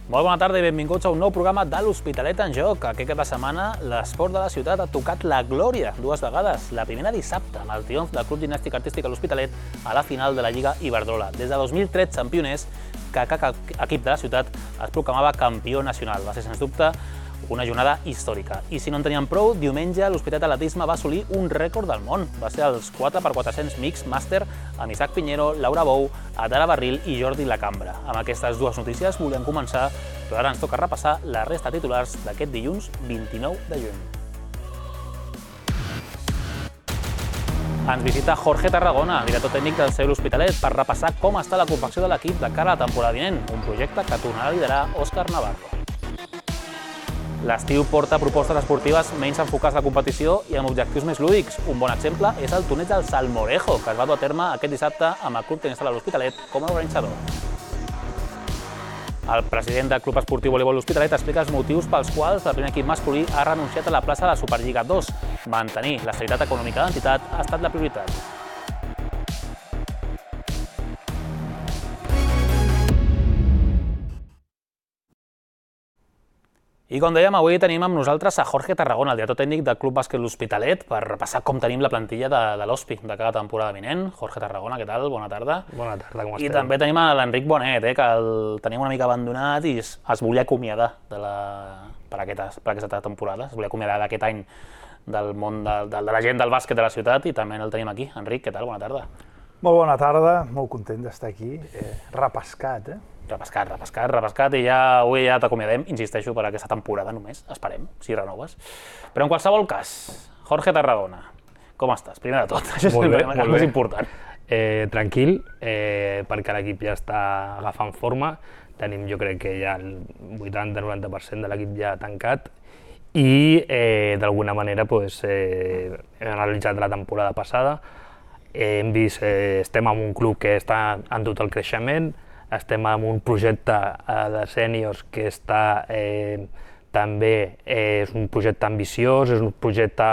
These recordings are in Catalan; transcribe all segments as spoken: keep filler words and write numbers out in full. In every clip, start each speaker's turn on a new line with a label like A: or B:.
A: Molt bona tarda i benvinguts a un nou programa de l'Hospitalet en Joc. Aquest cap de setmana l'esport de la ciutat ha tocat la glòria dues vegades. La primera dissabte, amb el triomf del Club Gimnàstic Artístic a l'Hospitalet a la final de la Lliga Iberdrola. Des de dos mil tretze, en pioners, que cada equip de la ciutat es proclamava campió nacional. Va ser, sens dubte, una jornada històrica. I si no en teníem prou, diumenge l'Hospitalet Atletisme va assolir un rècord del món. Va ser els quatre per quatre-cents mix màster amb Isaac Piñero, Laura Bou, Adara Barril i Jordi Lacambra. Amb aquestes dues notícies volem començar, però ara ens toca repassar la resta de titulars d'aquest dilluns vint-i-nou de juny. Ens visita Jorge Tarragona, director tècnic del C E U L'Hospitalet, per repassar com està la confecció de l'equip de cara a la temporada vinent, un projecte que tornarà a liderar Òscar Navarro. L'estiu porta propostes esportives menys enfocades a la competició i amb objectius més lúdics. Un bon exemple és el torneig del Salmorejo, que es va dur a terme aquest dissabte amb el Club Tenis Sala L'Hospitalet com a organitzador. El president del Club Esportiu Voleibol L'Hospitalet explica els motius pels quals el primer equip masculí ha renunciat a la plaça de la Superliga dos. Mantenir l'estabilitat econòmica de l'entitat ha estat la prioritat. I com dèiem, avui tenim amb nosaltres a Jorge Tarragona, el director tècnic del Club Bàsquet L'Hospitalet, per repassar com tenim la plantilla de, de l'Hospi de cada temporada vinent. Jorge Tarragona, què tal? Bona tarda.
B: Bona tarda, com
A: I
B: esteu?
A: també tenim a l'Enric Bonet, eh, que el tenim una mica abandonat i es, es volia acomiadar de la, per, aquesta, per aquesta temporada, es volia acomiadar d'aquest any del món de, de, de la gent del bàsquet de la ciutat i també el tenim aquí. Enric, què tal? Bona tarda.
C: Molt bona tarda, molt content d'estar aquí, eh, repescat, eh?
A: Repescat, repescat, repescat, i ja avui ja t'acomiadem, insisteixo, per aquesta temporada només, esperem, si renoves. Però en qualsevol cas, Jorge Tarragona, com estàs? Primer de tot, això és
B: Molt bé,
A: el
B: molt
A: més
B: bé.
A: important.
B: Eh, tranquil, eh, perquè l'equip ja està agafant forma. Tenim, jo crec que ja el vuitanta noranta per cent de l'equip ja tancat i eh, d'alguna manera pues, eh, hem analitzat la temporada passada. Eh, hem vist, eh, estem en un club que està en tot el creixement, estem en un projecte eh, de sèniors que està eh, també eh, és un projecte ambiciós, és un projecte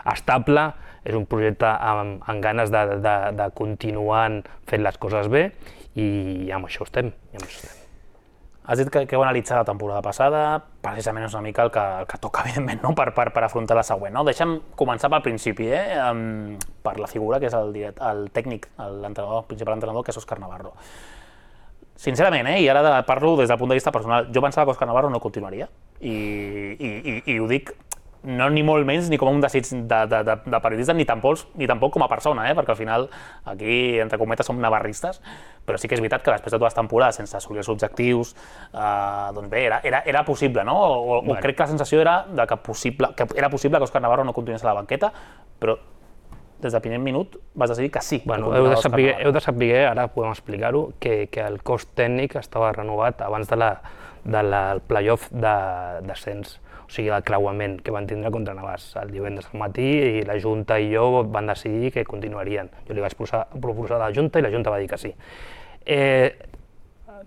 B: estable, és un projecte amb, amb ganes de, de, de continuar fent les coses bé i amb això estem. I amb això estem.
A: Has dit que, que heu analitzat la temporada passada, precisament és una mica el que, el que toca, evidentment, no? per, per, per afrontar la següent. No? Deixa'm començar pel principi, eh? um, per la figura que és el, direct, el tècnic, l'entrenador, el principal entrenador, que és Òscar Navarro. Sincerament, eh, i ara parlo des del punt de vista personal, jo pensava que Òscar Navarro no continuaria i, i, i, i ho dic no ni molt menys ni com un desig de, de, de, de periodista ni tampoc, ni tampoc com a persona, eh, perquè al final aquí, entre cometes, som navarristes, però sí que és veritat que després de dues temporades sense assolir els objectius, eh, doncs bé, era, era, era possible, no? O, o crec que la sensació era de que, possible, que era possible que Òscar Navarro no continués a la banqueta, però des del primer minut vas decidir que sí.
B: Bueno, heu, de saber, heu de saber, ara podem explicar-ho, que, que el cos tècnic estava renovat abans de la, de la, el play-off de descens, o sigui, el creuament que van tindre contra Navàs el divendres al matí i la Junta i jo van decidir que continuarien. Jo li vaig proposar, proposar a la Junta i la Junta va dir que sí. Eh,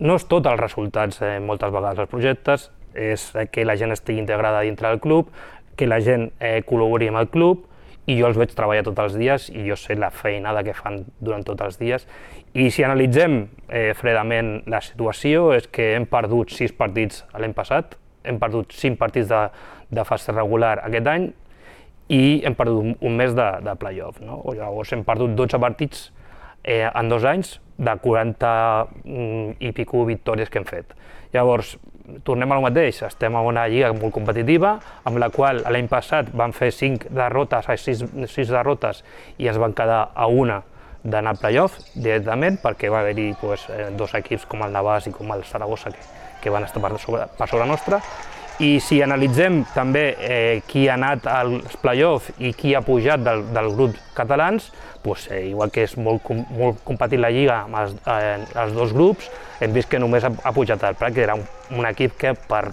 B: no és tot els resultats, eh, moltes vegades els projectes, és que la gent estigui integrada dintre del club, que la gent eh, col·labori amb el club, i jo els veig treballar tots els dies i jo sé la feinada que fan durant tots els dies. I si analitzem eh, fredament la situació és que hem perdut sis partits l'any passat, hem perdut cinc partits de, de fase regular aquest any i hem perdut un, un mes de, de play-off. No? O llavors hem perdut dotze partits eh, en dos anys de quaranta mm, i pico victòries que hem fet. Llavors, tornem al mateix, estem en una lliga molt competitiva, amb la qual l'any passat van fer cinc derrotes, sis, sis derrotes i es van quedar a una d'anar al play-off directament, perquè va haver-hi pues, dos equips com el Navàs i com el Saragossa que, que van estar per sobre, per sobre nostra. I si analitzem també eh, qui ha anat als play-off i qui ha pujat del, del grup catalans, pues, eh, igual que és molt, molt competitiva la lliga amb els, eh, els dos grups, hem vist que només ha, ha pujat el Prat, que era un, un equip que per,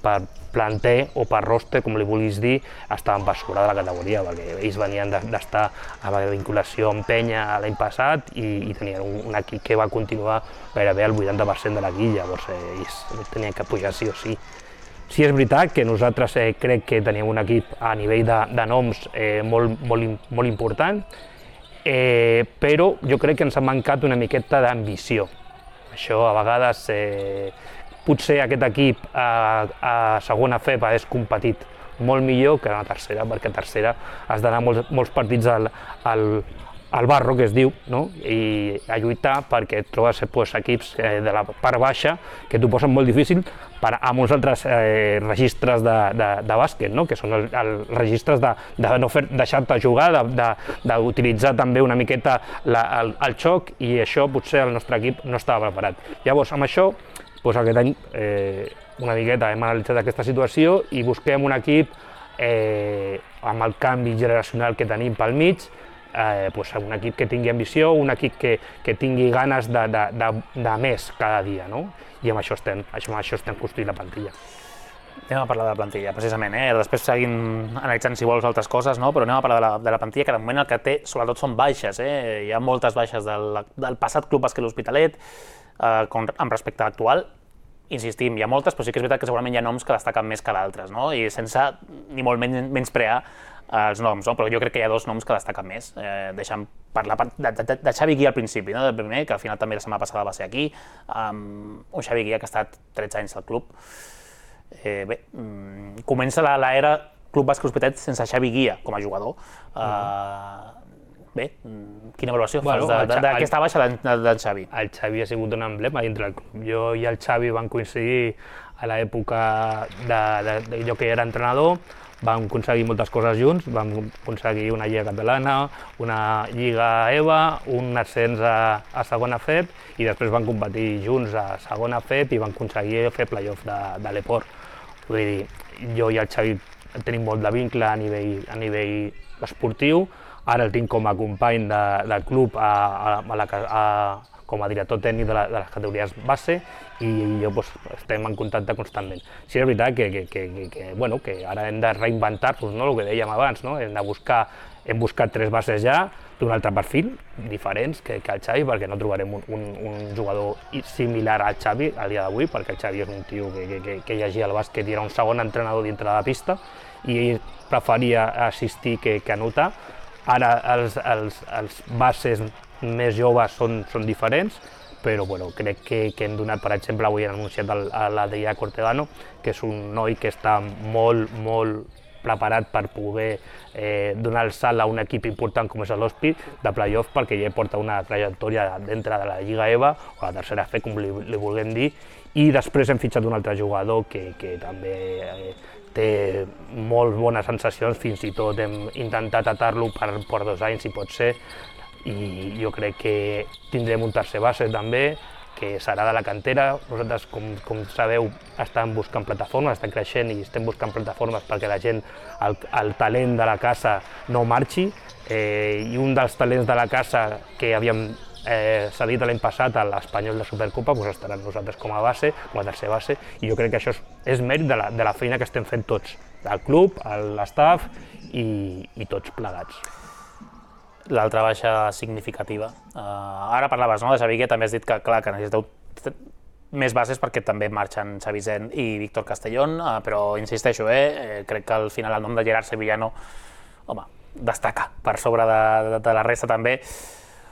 B: per planter o per roster, com li vulguis dir, estaven per sobre de la categoria, perquè ells venien d'estar a la vinculació amb Penya l'any passat i, i tenien un, un equip que va continuar gairebé el vuitanta per cent de la guilla, llavors eh, ells tenien que pujar sí o sí. Sí és veritat que nosaltres eh, crec que tenim un equip a nivell de, de noms eh, molt, molt, molt important, eh, però jo crec que ens ha mancat una miqueta d'ambició. Això a vegades eh, potser aquest equip a, a segona F E P hagués competit molt millor que a la tercera, perquè a tercera has d'anar molts, molts partits al, al, al barro, que es diu, no? I a lluitar perquè et trobes pues, equips eh, de la part baixa que t'ho posen molt difícil per a molts altres eh, registres de, de, de bàsquet, no? Que són els el registres de, de no fer, deixar-te jugar, d'utilitzar també una miqueta la, el, el xoc, i això potser el nostre equip no estava preparat. Llavors, amb això, doncs aquest any eh, una miqueta hem analitzat aquesta situació i busquem un equip eh, amb el canvi generacional que tenim pel mig, eh, doncs un equip que tingui ambició, un equip que, que tingui ganes de, de, de, de més cada dia, no? I amb això estem, amb això estem construint la plantilla.
A: Anem a parlar de la plantilla, precisament, eh? Després seguim analitzant si vols altres coses, no? Però anem a parlar de la, de la plantilla, que de moment el que té sobretot són baixes, eh? Hi ha moltes baixes del, del passat Club Bàsquet L'Hospitalet, eh, com, amb respecte a l'actual. Insistim, hi ha moltes, però sí que és veritat que segurament hi ha noms que destaquen més que d'altres, no? I sense ni molt menys menysprear els noms, no? Però jo crec que hi ha dos noms que destaquen més. Eh, deixem parlar de, de, de Xavi Guia al principi, no? Del primer, que al final també la setmana passada va ser aquí, um, un Xavi Guia que ha estat tretze anys al club. Eh, bé, um, comença l'era Club Bàsquet L'Hospitalet sense Xavi Guia com a jugador. Uh, Bé, quina valoració
B: bueno,
A: fas d'aquesta baixa d'en Xavi?
B: El Xavi ha sigut un emblema dintre del club. Jo i el Xavi van coincidir a l'època de, de, de jo que era entrenador, vam aconseguir moltes coses junts, vam aconseguir una Lliga Catalana, una Lliga EVA, un ascens a, a segona F E P, i després van competir junts a segona F E P i van aconseguir fer playoff de, de l'Eport. Vull dir, jo i el Xavi tenim molt de vincle a nivell, a nivell esportiu. Ara el tinc com a company de, del club a, a, a la, a, com a director tècnic de, la, de les categories base, i jo pues, estem en contacte constantment. Sí, és veritat que, que, que, que, bueno, que ara hem de reinventar-nos, no? El que dèiem abans, no? Hem de buscar, hem buscat tres bases ja d'un altre perfil, diferents que, que el Xavi, perquè no trobarem un, un, un jugador similar al Xavi a dia d'avui, perquè el Xavi és un tio que, que, que llegia el bàsquet i era un segon entrenador dintre de la pista, i ell preferia assistir que, que anotar. Ara els, els, els bases més joves són, són diferents, però bueno, crec que, que hem donat, per exemple, avui han anunciat el, a l'Adrià Cortegano, que és un noi que està molt, molt preparat per poder eh, donar el salt a un equip important com és l'Hospi de playoff, perquè ja porta una trajectòria dintre de la Lliga EVA, o la tercera F, com li, li vulguem dir, i després hem fitxat un altre jugador que, que també eh, té molt bones sensacions, fins i tot hem intentat atar-lo per, per dos anys, si pot ser, i jo crec que tindrem un tercer base també, que serà de la cantera. Nosaltres, com, com sabeu, estem buscant plataformes, estem creixent i estem buscant plataformes perquè la gent, el, el talent de la casa no marxi, eh, i un dels talents de la casa que havíem eh, cedit l'any passat a l'Espanyol de Supercopa, doncs estarà nosaltres com a base, com a tercer base, i jo crec que això és, és mèrit de la, de la feina que estem fent tots, el club, l'estaf i, i tots plegats.
A: L'altra baixa significativa. Uh, ara parlaves, no, de Xavi, que també has dit que, clar, que necessiteu més bases perquè també marxen Xavi Zen i Víctor Castellón, uh, però insisteixo, eh, eh, crec que al final el nom de Gerard Sevillano, home, destaca per sobre de, de, de la resta també.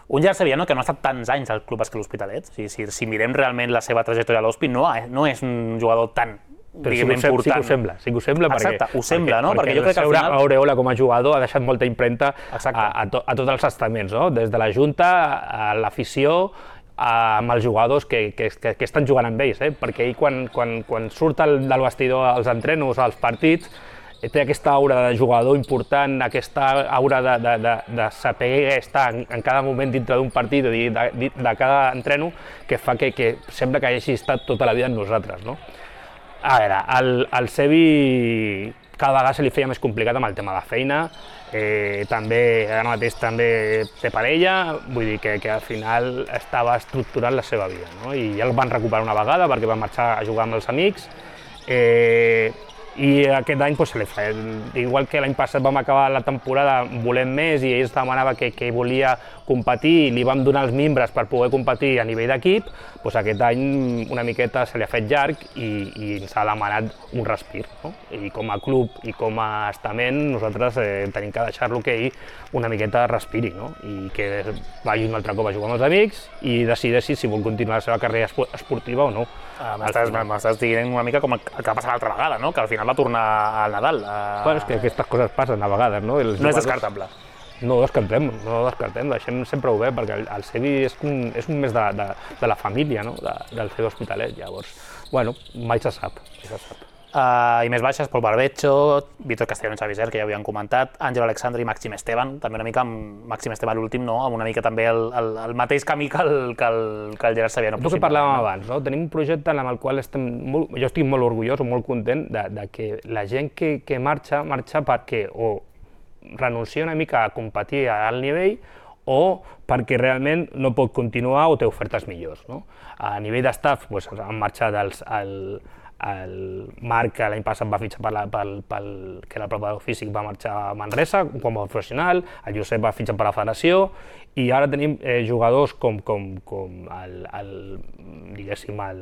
A: Un Gerard Sevillano que no ha estat tants anys al Club Bàsquet L'Hospitalet. O sigui, si, si mirem realment la seva trajectòria a l'Hospi, no, no és un jugador tan,
B: però sí que, ho, sí que ho sembla, sí que ho sembla.
A: Exacte,
B: perquè,
A: ho sembla,
B: perquè,
A: no?
B: Perquè,
A: perquè jo crec que al final...
B: Aureola com a jugador ha deixat molta impremta a, a, to, a tots els estaments, no? Des de la Junta, a l'afició, amb els jugadors que, que, que, que estan jugant amb ells, eh? Perquè ell quan, quan, quan surt el, del vestidor als entrenos, als partits, té aquesta aura de jugador important, aquesta aura de, de, de, de saber estar en, en cada moment dintre d'un partit, de, de, de cada entreno, que fa que, que sembla que hagi estat tota la vida amb nosaltres, no? A veure, el, el Sevi cada vegada se li feia més complicat amb el tema de feina, eh, també, ara mateix també té parella, vull dir que, que al final estava estructurant la seva vida, no? I ja el van recuperar una vegada perquè va marxar a jugar amb els amics, eh, i aquest any pues, se li fa, igual que l'any passat vam acabar la temporada volent més i ell demanava que, que volia competir i li vam donar els mimbres per poder competir a nivell d'equip, pues aquest any una miqueta se li ha fet llarg i, i ens ha demanat un respir. No? I com a club i com a estament nosaltres eh, tenim que deixar-lo que ell una miqueta respiri, no? I que vagi un altre cop a jugar amb els amics i decideixi si vol continuar la seva carrera esportiva o no.
A: Ah, M'estàs dient una mica com el que va passar l'altra vegada, no? Que al final va tornar al Nadal. Uh...
B: Bueno, és que aquestes coses passen a vegades, no? Els
A: no és descartable.
B: No ho descartem, no ho descartem, deixem sempre obert, perquè el, el Sevi és un, és un més de, de, de la família, no? De, del Sevi Hospitalet, llavors, bueno, mai se sap, mai se sap.
A: Uh, I més baixes, Pol Barbecho, Víctor Castellón i Xavi Ser, que ja ho havíem comentat, Àngel Alexandre i Màxim Esteban, també una mica amb Màxim Esteban l'últim, no? Amb una mica també el, el, el mateix camí que el, que el, que el Gerard Saviano.
B: El que parlàvem no? abans, no? Tenim un projecte en el qual estem molt, jo estic molt orgullós o molt content de, de que la gent que, que marxa, marxa perquè o renuncia una mica a competir a alt nivell o perquè realment no pot continuar o té ofertes millors. No? A nivell d'estaf pues, han marxat els, el, el Marc, que l'any passat va fitxar per la, pel, pel, que era el preparador físic, va marxar a Manresa com a professional, el Josep va fitxar per la federació i ara tenim eh, jugadors com, com, com el, el, diguéssim, el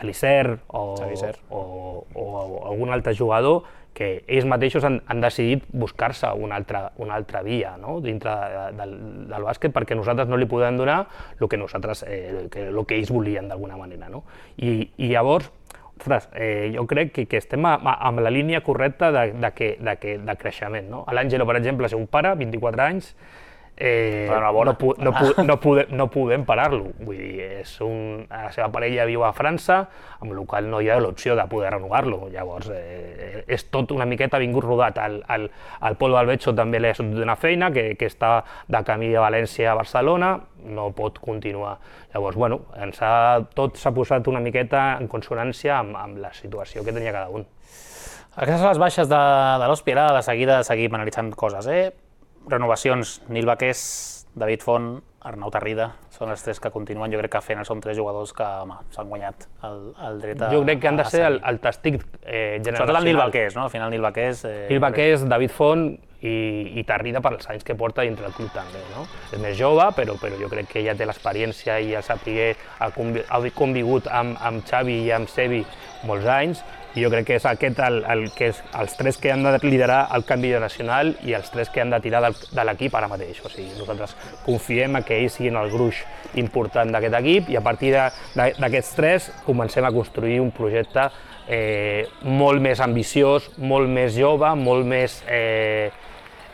B: l'Iser o, o, o, o algun altre jugador que ells mateixos han, han decidit buscar-se una altra, una altra via, no? Dintre de, de, del bàsquet perquè nosaltres no li podem donar el que, nosaltres, eh, que, el que ells volien d'alguna manera. No? I, I llavors, ostres, eh, jo crec que, que estem a, a, amb la línia correcta de, de, que, de, que, de creixement. No? L'Àngelo, per exemple, és un pare, vint-i-quatre anys, Eh, no, pu no, pu no, podem, no podem parar-lo, vull dir, és un, la seva parella viu a França, amb la qual no hi ha l'opció de poder renovar-lo, llavors eh, és tot una miqueta vingut rodat. El, el, el Pol Balbecho també li ha sortit una feina, que, que està de camí de València a Barcelona, no pot continuar. Llavors, bueno, ens ha, tot s'ha posat una miqueta en consonància amb, amb la situació que tenia cada un.
A: Aquestes són les baixes de, de l'Hospi, ara de seguida seguim analitzant coses, eh? Renovacions, Nil Baqués, David Font, Arnau Tarrida, són els tres que continuen. Jo crec que fent són tres jugadors que s'han guanyat el, el dret a...
B: Jo crec que han de ser el, el testic eh, generacional.
A: Sobretot el Nil Baqués, no? Al final Nil Baqués... Eh,
B: Nil Baqués, David Font i, i Tarrida per els anys que porta dintre del club també, no? És més jove, però, però jo crec que ja té l'experiència i ja sapigué, ha, convi ha convigut amb, amb Xavi i amb Sevi molts anys, i jo crec que és aquest el, el que és els tres que han de liderar el canvi nacional i els tres que han de tirar del, de l'equip ara mateix. O sigui, nosaltres confiem en que ells siguin el gruix important d'aquest equip i a partir d'aquests tres comencem a construir un projecte eh, molt més ambiciós, molt més jove, molt més eh,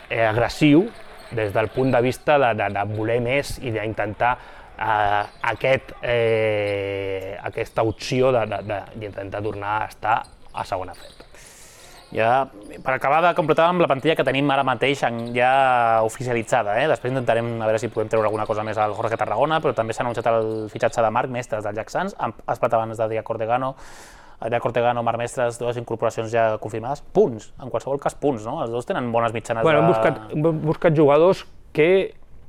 B: eh, agressiu des del punt de vista de, de, de voler més i d'intentar Uh, aquest, eh, aquesta opció d'intentar tornar a estar a segona fred.
A: Ja, per acabar de completar amb la plantilla que tenim ara mateix ja oficialitzada, eh? Després intentarem a veure si podem treure alguna cosa més al Jorge Tarragona, però també s'ha anunciat el fitxatge de Marc Mestres del Jack Sants, has parlat abans d'Adrià Cortegano, Adrià Cortegano, Marc Mestres, dues incorporacions ja confirmades, punts, en qualsevol cas punts, no? Els dos tenen bones mitjanes
B: bueno,
A: de...
B: Hem buscat, hem buscat jugadors que,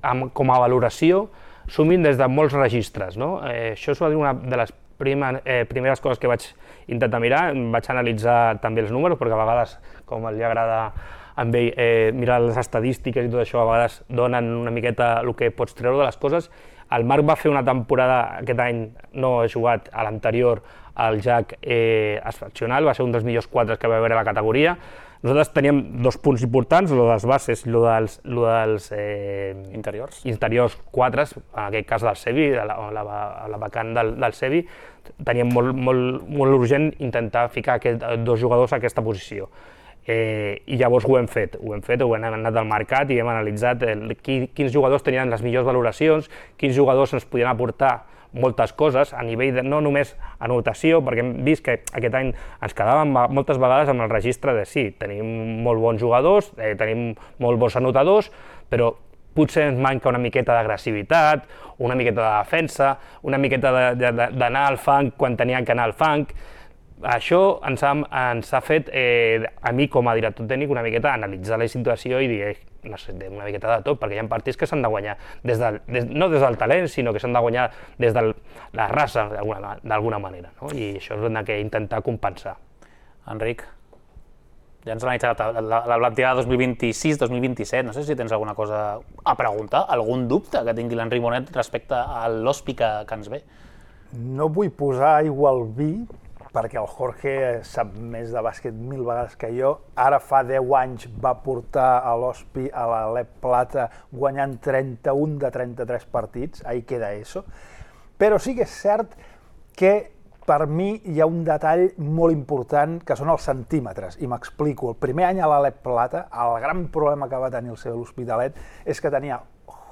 B: amb, com a valoració, sumin des de molts registres, no? Eh, això és una de les prima, eh, primeres coses que vaig intentar mirar, vaig analitzar també els números, perquè a vegades, com li agrada a ell eh, mirar les estadístiques i tot això, a vegades donen una miqueta el que pots treure de les coses. El Marc va fer una temporada, aquest any no ha jugat, a l'anterior, al Jack eh, excepcional, va ser un dels millors quadres que va haver a la categoria. Nosaltres teníem dos punts importants, el de les bases i el dels, lo dels eh,
A: interiors.
B: interiors quadres, en aquest cas del Sevi, de la, la, la vacant del, del Sevi, teníem molt, molt, molt urgent intentar ficar aquest, dos jugadors a aquesta posició. Eh, I llavors ho hem fet, ho hem fet, ho hem anat al mercat i hem analitzat el, qui, quins jugadors tenien les millors valoracions, quins jugadors ens podien aportar moltes coses a nivell de, no només anotació, perquè hem vist que aquest any ens quedàvem moltes vegades amb el registre de sí, tenim molt bons jugadors, eh, tenim molt bons anotadors, però potser ens manca una miqueta d'agressivitat, una miqueta de defensa, una miqueta d'anar al fang quan tenien que anar al fang. Això ens ha, ens ha fet, eh, a mi com a director tècnic, una miqueta analitzar la situació i dir, eh, necessitem una miqueta de tot, perquè hi ha partits que s'han de guanyar, des del, des, no des del talent, sinó que s'han de guanyar des de la raça, d'alguna manera, no? I això és el que intentar compensar.
A: Enric, ja ens hem analitzat la, la plantilla de dos mil vint-i-sis dos mil vint-i-set, no sé si tens alguna cosa a preguntar, algun dubte que tingui l'Enric Bonet respecte a l'Ospi que, que ens ve.
C: No vull posar aigua al vi, perquè el Jorge sap més de bàsquet mil vegades que jo. Ara fa deu anys va portar a l'Ospi a l'Alep Plata guanyant trenta-un de trenta-tres partits, ahí queda eso. Però sí que és cert que per mi hi ha un detall molt important que són els centímetres, i m'explico. El primer any a l'Alep Plata, el gran problema que va tenir el seu L'Hospitalet és que tenia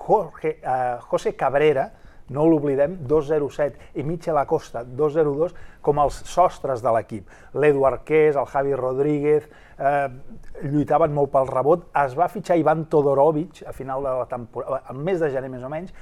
C: Jorge, eh, José Cabrera, no l'oblidem, dos zero set, i Michel Acosta, dos zero dos, com els sostres de l'equip. L'Edu Arqués, el Javi Rodríguez, eh, lluitaven molt pel rebot. Es va fitxar Ivan Todorovic a final de la temporada, al mes de gener més o menys,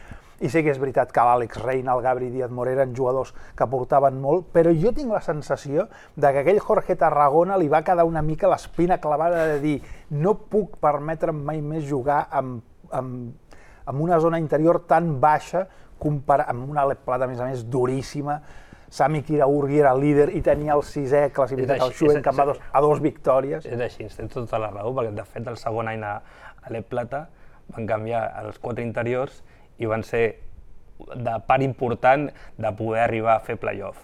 C: i sé que és veritat que l'Àlex Reina, el Gabri Díaz Morera eren jugadors que portaven molt, però jo tinc la sensació de que aquell Jorge Tarragona li va quedar una mica l'espina clavada de dir no puc permetre'm mai més jugar amb, amb, amb una zona interior tan baixa comparat amb una Alep Plata, a més a més, duríssima. Sami Kiraurgi era líder i tenia el sisè classificat al Xuen, que va dos, a dos victòries.
B: És així, tens tota la raó, perquè de fet el segon any a Alep Plata van canviar els quatre interiors i van ser de part important de poder arribar a fer play-off.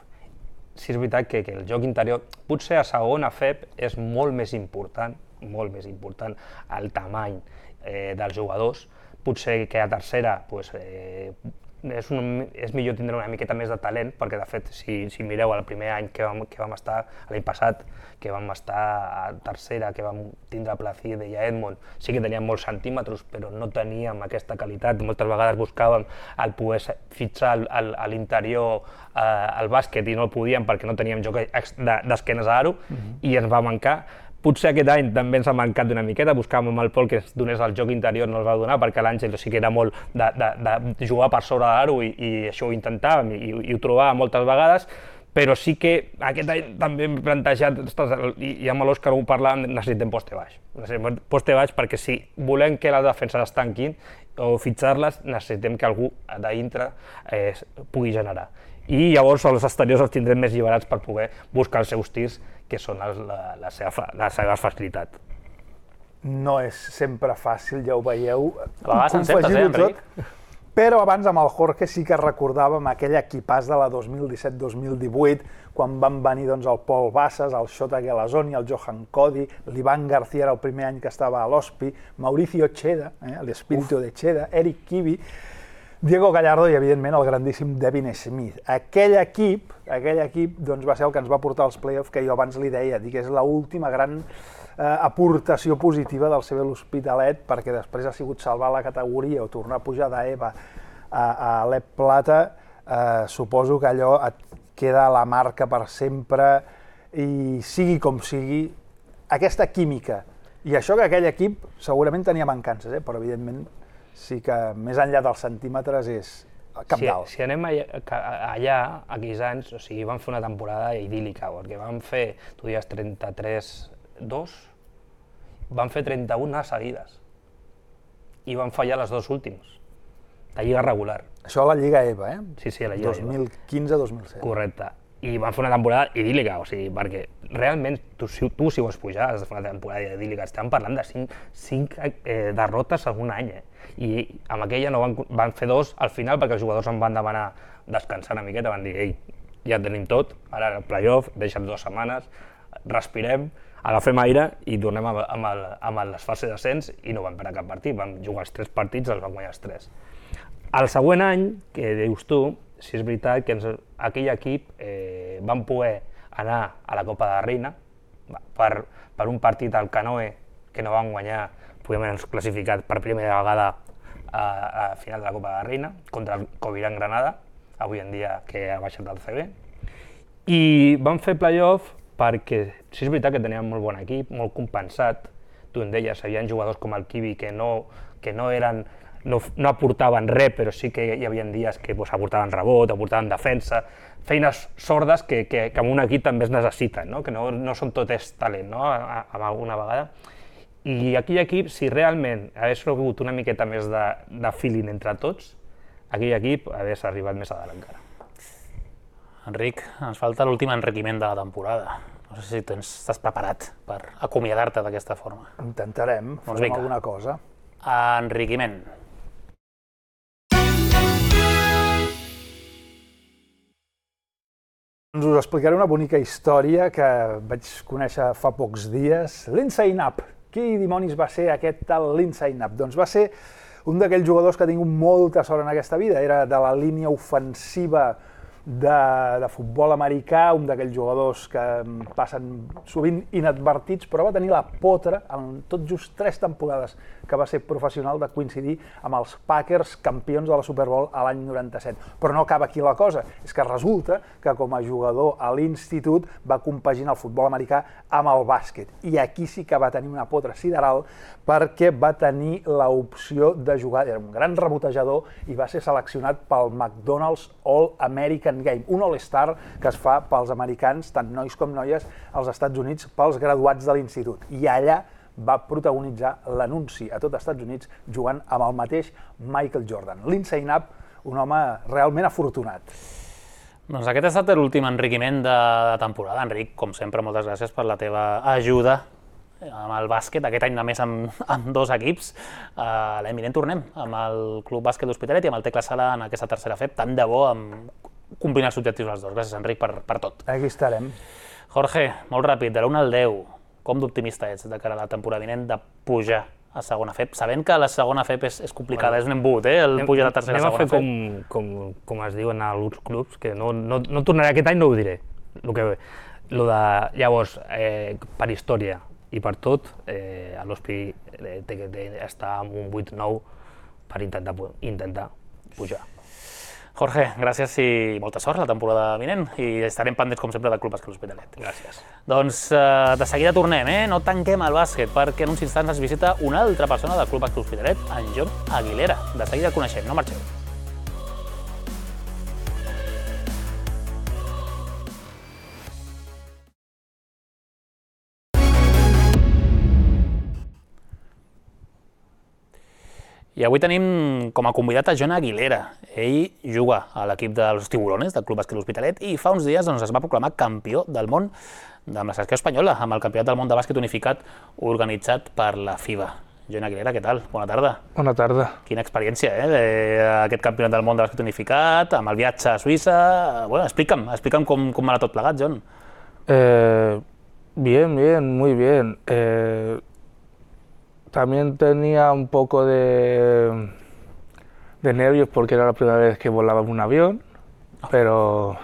B: Sí, és veritat que, que el joc interior, potser a segona F E P és molt més important, molt més important el tamany eh, dels jugadors, potser que a tercera pues, eh, és, un, és millor tindre una miqueta més de talent, perquè de fet, si, si mireu el primer any que vam, que vam estar, l'any passat, que vam estar a tercera, que vam tindre Placide i a Edmond, sí que teníem molts centímetres, però no teníem aquesta qualitat. Moltes vegades buscàvem el poder fitxar a l'interior eh, al bàsquet i no el podíem perquè no teníem joc d'esquenes a aro, mm-hmm. i ens va mancar. Potser aquest any també ens ha mancat una miqueta, buscàvem amb el Pol que ens donés el joc interior, no el va donar, perquè l'Àngel sí que era molt de, de, de jugar per sobre l'aro i, i això ho intentàvem i, i ho trobàvem moltes vegades, però sí que aquest any també hem plantejat, i, i amb l'Òscar ho parlàvem, necessitem poste baix. Necessitem poste baix perquè si volem que les defenses es tanquin o fitxar-les, necessitem que algú de dintre eh, pugui generar. I llavors els exteriors els tindrem més alliberats per poder buscar els seus tirs, que són la, la, la, seva, la seva facilitat.
C: No és sempre fàcil, ja ho veieu.
A: A vegades encertes, eh, Enric?
C: Però abans amb el Jorge sí que recordàvem aquell equipàs de la dos mil disset dos mil divuit, quan van venir doncs, el Pol Bassas, el Xota Gelazoni, el Johan Cody, l'Ivan García era el primer any que estava a l'Ospi, Mauricio Cheda, eh, l'Espíritu de Cheda, Eric Kivi, Diego Gallardo i, evidentment, el grandíssim Devin Smith. Aquell equip, aquell equip doncs, va ser el que ens va portar als play-offs, que jo abans li deia, dic, és l'última gran eh, aportació positiva del C B L'Hospitalet, perquè després ha sigut salvar la categoria o tornar a pujar d'Eva a, a l'Ep Plata. Eh, suposo que allò et queda a la marca per sempre i sigui com sigui, aquesta química. I això que aquell equip segurament tenia mancances, eh, però evidentment sí que més enllà dels centímetres és cabdal.
B: Si, si anem allà, allà, aquells anys, o sigui, vam fer una temporada idíl·lica, perquè vam fer, tu dies trenta-tres dos, vam fer trenta-una seguides i vam fallar les dos últims, de lliga regular.
C: Això a la Lliga EVA, eh?
B: Sí, sí, a la Lliga
C: dos mil quinze dos mil setze.
B: Correcte. I van fer una temporada idíl·lica, o sigui, perquè realment tu, si, tu si vols pujar has de fer una temporada idíl·lica. Estem parlant de cinc, cinc eh, derrotes en un any, eh? I amb aquella no van, van fer dos al final perquè els jugadors em van demanar descansar una miqueta, van dir, ei, ja tenim tot, ara el play-off, deixa'm dues setmanes, respirem, agafem aire i tornem amb, amb, el, amb les fases d'ascens i no vam perdre cap partit, vam jugar els tres partits, els vam guanyar els tres. El següent any, que dius tu, si és veritat que ens, aquell equip eh, van poder anar a la Copa de la Reina per, per un partit al Canoe que no van guanyar, podem haver classificat per primera vegada a, a final de la Copa de la Reina contra el Covirán Granada, avui en dia que ha baixat del C B, i van fer play-off perquè si és veritat que teníem molt bon equip, molt compensat. Tu en deies, hi havia jugadors com el Kiwi que no, que no eren No, no aportaven res, però sí que hi havia dies que pues, aportaven rebot, aportaven defensa, feines sordes que, que, que en un equip també es necessiten, no? Que no, no són tot és talent, no? A, a alguna vegada. I aquell equip, si realment hagués rebut una miqueta més de, de feeling entre tots, aquell equip hagués arribat més a dalt encara.
A: Enric, ens falta l'últim enriquiment de la temporada. No sé si tens, estàs preparat per acomiadar-te d'aquesta forma.
C: Intentarem,
A: Doncs
C: farem
A: vinga.
C: alguna cosa.
A: Enriquiment.
C: Doncs us explicaré una bonica història que vaig conèixer fa pocs dies. Lindsay Knapp. Qui dimonis va ser aquest tal Lindsay Knapp? Doncs va ser un d'aquells jugadors que ha tingut molta sort en aquesta vida. Era de la línia ofensiva de, de futbol americà, un d'aquells jugadors que passen sovint inadvertits, però va tenir la potra en tot just tres temporades que va ser professional de coincidir amb els Packers campions de la Super Bowl a l'any noranta-set. Però no acaba aquí la cosa, és que resulta que com a jugador a l'institut va compaginar el futbol americà amb el bàsquet. I aquí sí que va tenir una potra sideral perquè va tenir l'opció de jugar, era un gran rebotejador i va ser seleccionat pel McDonald's All-American Game, un All-Star que es fa pels americans, tant nois com noies, als Estats Units, pels graduats de l'institut. I allà va protagonitzar l'anunci a tot els Estats Units jugant amb el mateix Michael Jordan. Lindsay Knapp, un home realment afortunat.
A: Doncs aquest ha estat l'últim enriquiment de temporada. Enric, com sempre, moltes gràcies per la teva ajuda amb el bàsquet, aquest any només amb, amb dos equips. Uh, L'any vinent tornem amb el Club Bàsquet L'Hospitalet i amb el Tecla Sala en aquesta tercera F E P. Tant de bo amb combinar els objectius els dos. Gràcies, Enric, per, per tot.
C: Aquí estarem.
A: Jorge, molt ràpid, de l'un al deu, com d'optimista ets de cara a la temporada vinent de pujar a segona F E P? Sabent que la segona F E P és, és complicada, bueno, és un embut, eh, el pujar a la tercera a segona F E P.
B: Anem a fer com, com, com es diu en alguns clubs, que no, no, no tornaré aquest any, no ho diré. Lo que, lo de, llavors, eh, per història i per tot, eh, a l'Hospi eh, té que estar amb un vuit nou per intentar, intentar pujar.
A: Jorge, gràcies i molta sort la temporada vinent i estarem pendents, com sempre, del Club Bàsquet L'Hospitalet.
B: Gràcies.
A: Doncs eh, de seguida tornem, eh? No tanquem el bàsquet, perquè en uns instants ens visita una altra persona del Club Bàsquet L'Hospitalet, en Jon Aguilera. De seguida el coneixem, no marxeu. I avui tenim com a convidat a Jon Aguilera. Ell juga a l'equip dels Tiburones, del Club Bàsquet L'Hospitalet, i fa uns dies doncs, es va proclamar campió del món amb la selecció espanyola, amb el Campionat del món de bàsquet unificat organitzat per la FIBA. Jon Aguilera, què tal? Bona tarda.
D: Bona tarda.
A: Quina experiència, eh? De, aquest Campionat del món de bàsquet unificat, amb el viatge a Suïssa... Bueno, explica'm, explica'm com, com va anar tot plegat, Jon.
D: Eh, bien, bien, muy bien. Eh, También tenía un poco de, de nervios porque era la primera vez que volaba en un avión, pero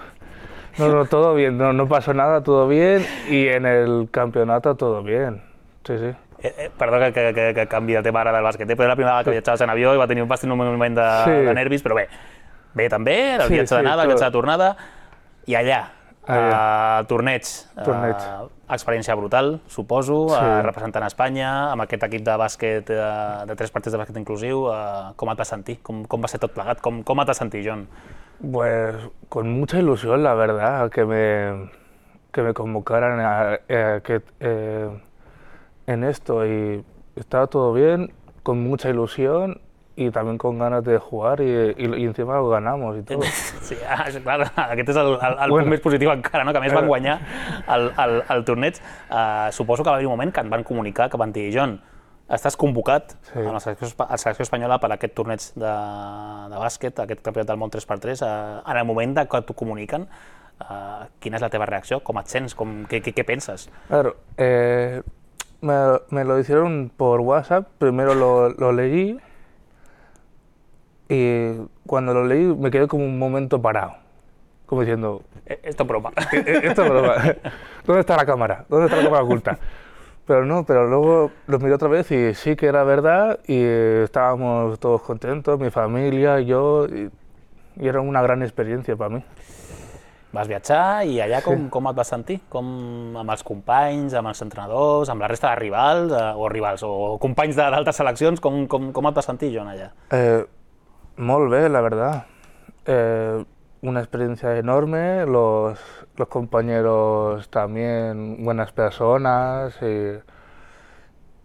D: no, no, todo bien, no, no pasó nada, todo bien, y en el campeonato todo bien, sí, sí.
A: Eh, eh, perdó que, que, que, que canvi de tema ara del bàsquet, eh? Però era la primera vegada que viatjaves en avió i va tenir, vas tenir un moment de, sí. de nervis, però bé, bé també, el
D: sí,
A: viatge
D: sí,
A: d'anada, el viatge de tornada, i allà, Uh, torneig,
D: torneig.
A: Uh, experiència brutal, suposo, sí. uh, representant Espanya, amb aquest equip de bàsquet, uh, de tres partits de bàsquet inclusiu, uh, com et vas sentir? Com, com va ser tot plegat? Com, com et vas sentir, Jon?
D: Pues con mucha ilusión, la verdad, que me, que me convocaran a, a, que, eh, en esto, y estaba todo bien, con mucha ilusión, i també con ganes de jugar i, i, i encima ho ganamos i tot.
A: Sí, ah, clar, aquest és el, el, el bueno, punt més positiu encara, no? Que a més van guanyar el, el, el torneig. Uh, suposo que va haver un moment que et van comunicar, que van dir, Jon, estàs convocat sí. a la selecció, a la selecció espanyola per aquest torneig de, de bàsquet, aquest campionat del món tres per tres. Uh, en el moment de que t'ho comuniquen, uh, quina és la teva reacció? Com et sents? Com, què, què, què penses?
D: Claro, eh, me, me lo hicieron por WhatsApp, primero lo, lo leí, y cuando lo leí me quedé como un momento parado, como diciendo...
A: Esto es broma.
D: Esto es broma. ¿Dónde está la cámara? ¿Dónde está la cámara oculta? Pero no, pero luego lo miré otra vez y sí que era verdad y estábamos todos contentos, mi familia, yo, y, y era una gran experiencia para mí.
A: Vas viatjar i allà com, com et vas sentir? Com amb els companys, amb els entrenadors, amb la resta de rivals, eh, o rivals, o companys d'altres seleccions, com, com, com et vas sentir, Jon, allà?
D: Eh, Molt bé, la verdad. Eh, una experiencia enorme, los, los compañeros también buenas personas y,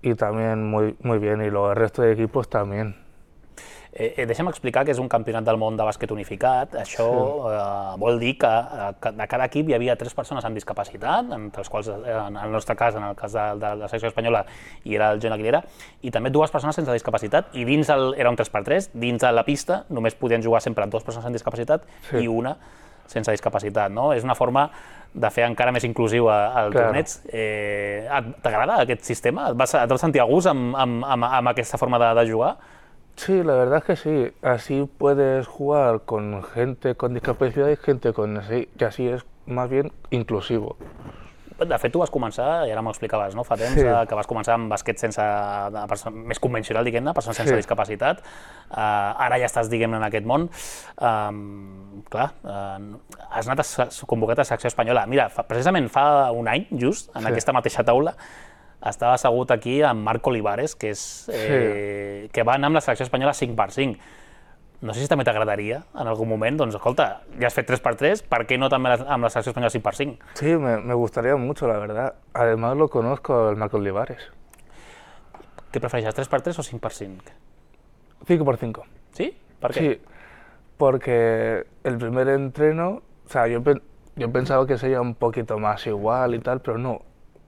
D: y también muy, muy bien, y los, el resto de equipos también.
A: Eh, deixa'm explicar que és un campionat del món de bàsquet unificat. Això sí. eh, vol dir que, que de cada equip hi havia tres persones amb discapacitat, entre els quals, en el nostre cas, en el cas de, de la secció espanyola, hi era el John Aguilera, i també dues persones sense discapacitat, i dins el, era un tres per tres, dins de la pista només podien jugar sempre dues persones amb discapacitat sí. i una sense discapacitat, no? És una forma de fer encara més inclusiu el claro. torneig. Eh, T'agrada aquest sistema? Et vas, et vas sentir a gust amb, amb, amb, amb aquesta forma de, de jugar?
D: Sí, la verdad es que sí. Así puedes jugar con gente con discapacidad y gente con así, que así es más bien inclusivo.
A: De fet, tu vas començar, i ara m'ho explicaves, no? Fa temps sí. que vas començar amb bàsquet sense, més convencional, diguem-ne, persones sense sí. discapacitat. Uh, ara ja estàs, diguem-ne, en aquest món. Um, clar, uh, has anat a, convocat a la secció espanyola. Mira, fa, precisament fa un any, just, en sí. aquesta mateixa taula, estava assegut aquí amb Marc Olivares, que, és, eh, sí. que va anar amb la selecció espanyola cinc per cinc. No sé si també t'agradaria en algún moment, doncs escolta, ja has fet tres per tres, ¿por qué no también amb la selección española cinc per cinc?
D: Sí, me, me gustaría mucho, la verdad. Además lo conozco, el Marc Olivares.
A: ¿Qué prefereixes, tres per tres o cinc per cinc?
D: cinco por cinco.
A: ¿Sí? ¿Por qué?
D: Sí, porque el primer entreno, o sea, yo, yo pensaba que sería un poquito más igual y tal, pero no.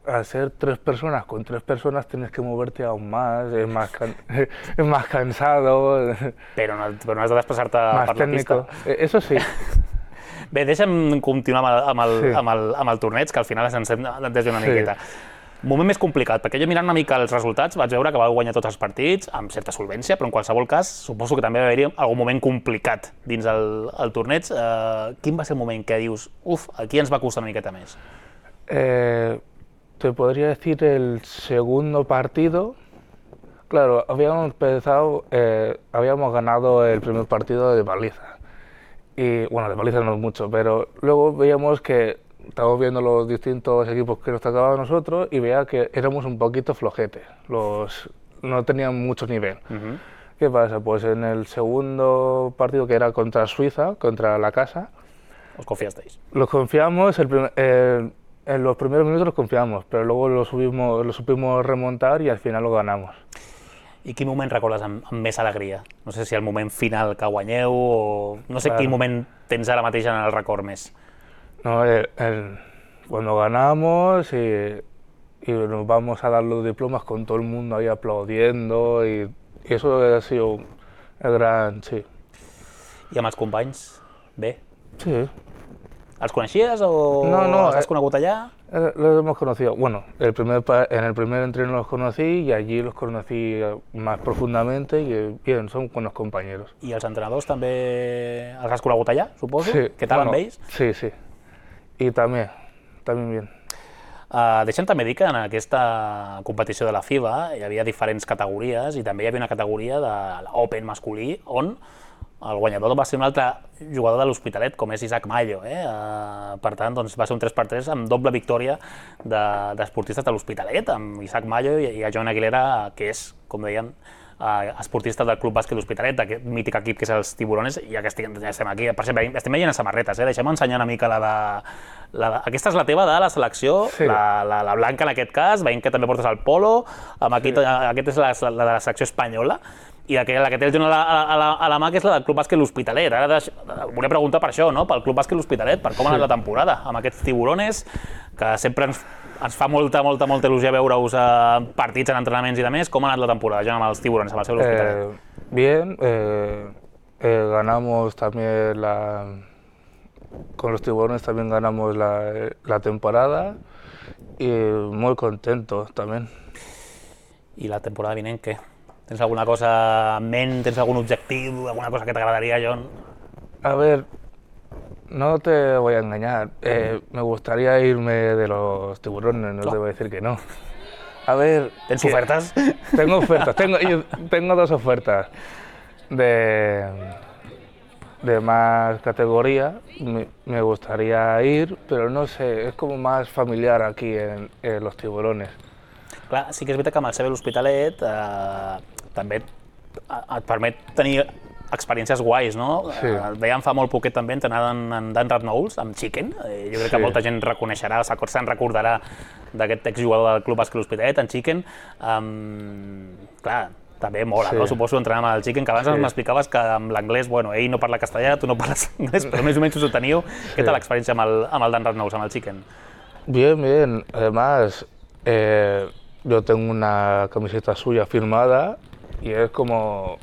D: Al ser tres personas, con tres personas tienes que moverte aún más, es más, can es más cansado.
A: Però no, però no has de desplaçar-te per
D: técnico. La pista. Eso sí.
A: Bé, deixa'm continuar amb el, amb el,
D: sí.
A: amb el, amb el torneig, que al final ens hem desviat una
D: sí.
A: miqueta. Moment més complicat, perquè jo mirant una mica els resultats vaig veure que va guanyar tots els partits amb certa solvència, però en qualsevol cas suposo que també va haver-hi algun moment complicat dins el, el torneig. Uh, quin va ser el moment que dius, uf, aquí ens va costar una miqueta més?
D: Eh... Te podría decir el segundo partido. Claro, habíamos empezado, eh, habíamos ganado el primer partido de paliza. Y bueno, de paliza no mucho, pero luego veíamos que estábamos viendo los distintos equipos que nos tocaban a nosotros y veía que éramos un poquito flojetes. Los, no tenían mucho nivel. Uh-huh. ¿Qué pasa? Pues en el segundo partido, que era contra Suiza, contra la casa.
A: ¿Os confiasteis?
D: Los confiamos. El primer, eh, En los primeros minutos los confiamos, pero luego lo, subimos, lo supimos remontar y al final lo ganamos.
A: I quin moment recordes amb, amb més alegria? No sé si el moment final que guanyeu o... No sé claro. Quin moment tens ara mateix en el record més.
D: No, el, el, cuando ganamos y, y nos vamos a dar los diplomas con todo el mundo ahí aplaudiendo y, y eso ha sido el gran... sí.
A: I amb els companys? Bé?
D: Sí.
A: ¿Els coneixías o
D: no, no,
A: els has conegut allá?
D: Eh, los hemos conocido. Bueno, el primer, en el primer entreno los conocí y allí los conocí más profundamente y bien, son buenos compañeros.
A: I els entrenadors també els has conegut allà, suposo?
D: Sí.
A: Què tal
D: bueno,
A: amb ells?
D: Sí, sí. I també, també bien.
A: Uh, deixa'm també dir que en aquesta competició de la FIBA hi havia diferents categories i també hi havia una categoria de l'Open masculí on el guanyador va ser un altre jugador de l'Hospitalet, com és Isaac Mallo. Eh? Uh, per tant, doncs, va ser un tres per tres amb doble victòria d'esportistes de, de l'Hospitalet, amb Isaac Mallo i, i a John Aguilera, que és, com dèiem, uh, esportista del Club Bàsquet l'Hospitalet, aquest mític equip que és els Tiburones, i ja que estem, ja estem aquí, per exemple, estem veient les samarretes, eh? Deixem ensenyar una mica la de... La de... Aquesta és la teva de la selecció, sí. la, la, la blanca en aquest cas, veiem que també portes el polo, amb aquí, sí. Aquesta és la, la de la selecció espanyola, i la que, la que té el John a la, a, la, a la mà, que és la del Club Bàsquet l'Hospitalet. Ara deix... volia preguntar per això, no? Pel Club Bàsquet l'Hospitalet, per com ha anat la temporada, amb aquests Tiburones, que sempre ens, ens fa molta, molta, molta il·lusió veure-us a partits, en entrenaments i demés. Com ha anat la temporada, John, amb els Tiburones, amb el seu l'Hospitalet?
D: Eh, bien, eh, eh, ganamos también la... Con los Tiburones también ganamos la, la temporada y muy contentos también.
A: I la temporada vinent, què? ¿Tens alguna cosa en ment? ¿Tens algún objetivo? ¿Alguna cosa que te agradaría, John?
D: A ver, no te voy a engañar. Eh, me gustaría irme de los Tiburones, no, no te voy a decir que no. A ver...
A: ¿Tens ofertas?
D: Tengo ofertas. Tengo, yo tengo dos ofertas de, de más categoría. Me, me gustaría ir, pero no sé, es como más familiar aquí en, en los Tiburones.
A: Clar, sí que és veritat que amb el C B l'Hospitalet eh, també et permet tenir experiències guais, no?
D: Sí.
A: El veiem fa molt poquet també entrenant en, en Dan Ratnouls, amb Chicken. Eh, jo crec sí. que molta gent reconeixerà, se'n recordarà d'aquest exjugador del Club Bàsquet l'Hospitalet, en Chicken. Um, clar, també mola,
D: Sí.
A: no? Suposo entrenar amb el Chicken, que abans
D: Sí.
A: m'explicaves que amb l'anglès, bueno, ell no parla castellà, tu no parles anglès, però més o menys us ho teniu. Què tal l'experiència amb el, amb el Dan Ratnous, amb el Chicken?
D: Bien, bien. Además, eh, yo tengo una camiseta suya firmada y es como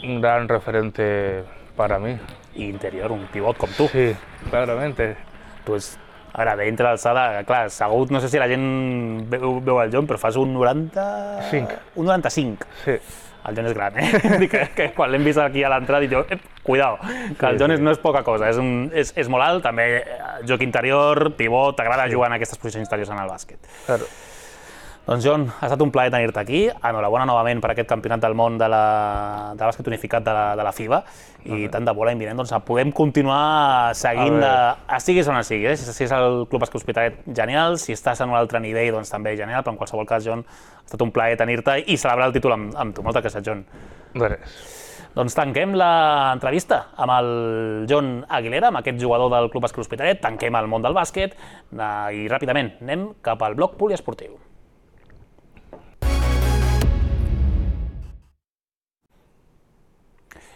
D: un gran referente para mí.
A: I interior, un pivot com tu.
D: Sí, claramente.
A: Tu és, a veure, d'entre l'alçada, clar, segur, no sé si la gent veu, veu el John, però fas un noranta...
D: Cinc.
A: Un noranta-cinc.
D: Sí.
A: El John és gran, eh? Dic que, que quan l'hem vist aquí a l'entrada dic jo, eh, cuidao, que el John és, no és poca cosa, és, un, és, és molt alt, també joc interior, pivot, t'agrada jugar en aquestes posicions interiors en el bàsquet.
D: Claro.
A: Doncs John, ha estat un plaer tenir-te aquí, enhorabona novament per aquest campionat del món de, la, de bàsquet unificat de la, de la FIBA i tant de bo l'any vinent doncs, podem continuar seguint, de, estiguis on estiguis, eh? Si és el Club Bàsquet Hospitalet, genial, si estàs en un altre nivell, doncs també genial, però en qualsevol cas, John, ha estat un plaer tenir-te i celebrar el títol amb, amb tu. Moltes gràcies, John.
D: Res.
A: Doncs tanquem l'entrevista amb el John Aguilera, amb aquest jugador del Club Bàsquet Hospitalet, tanquem el món del bàsquet i ràpidament anem cap al bloc poliesportiu.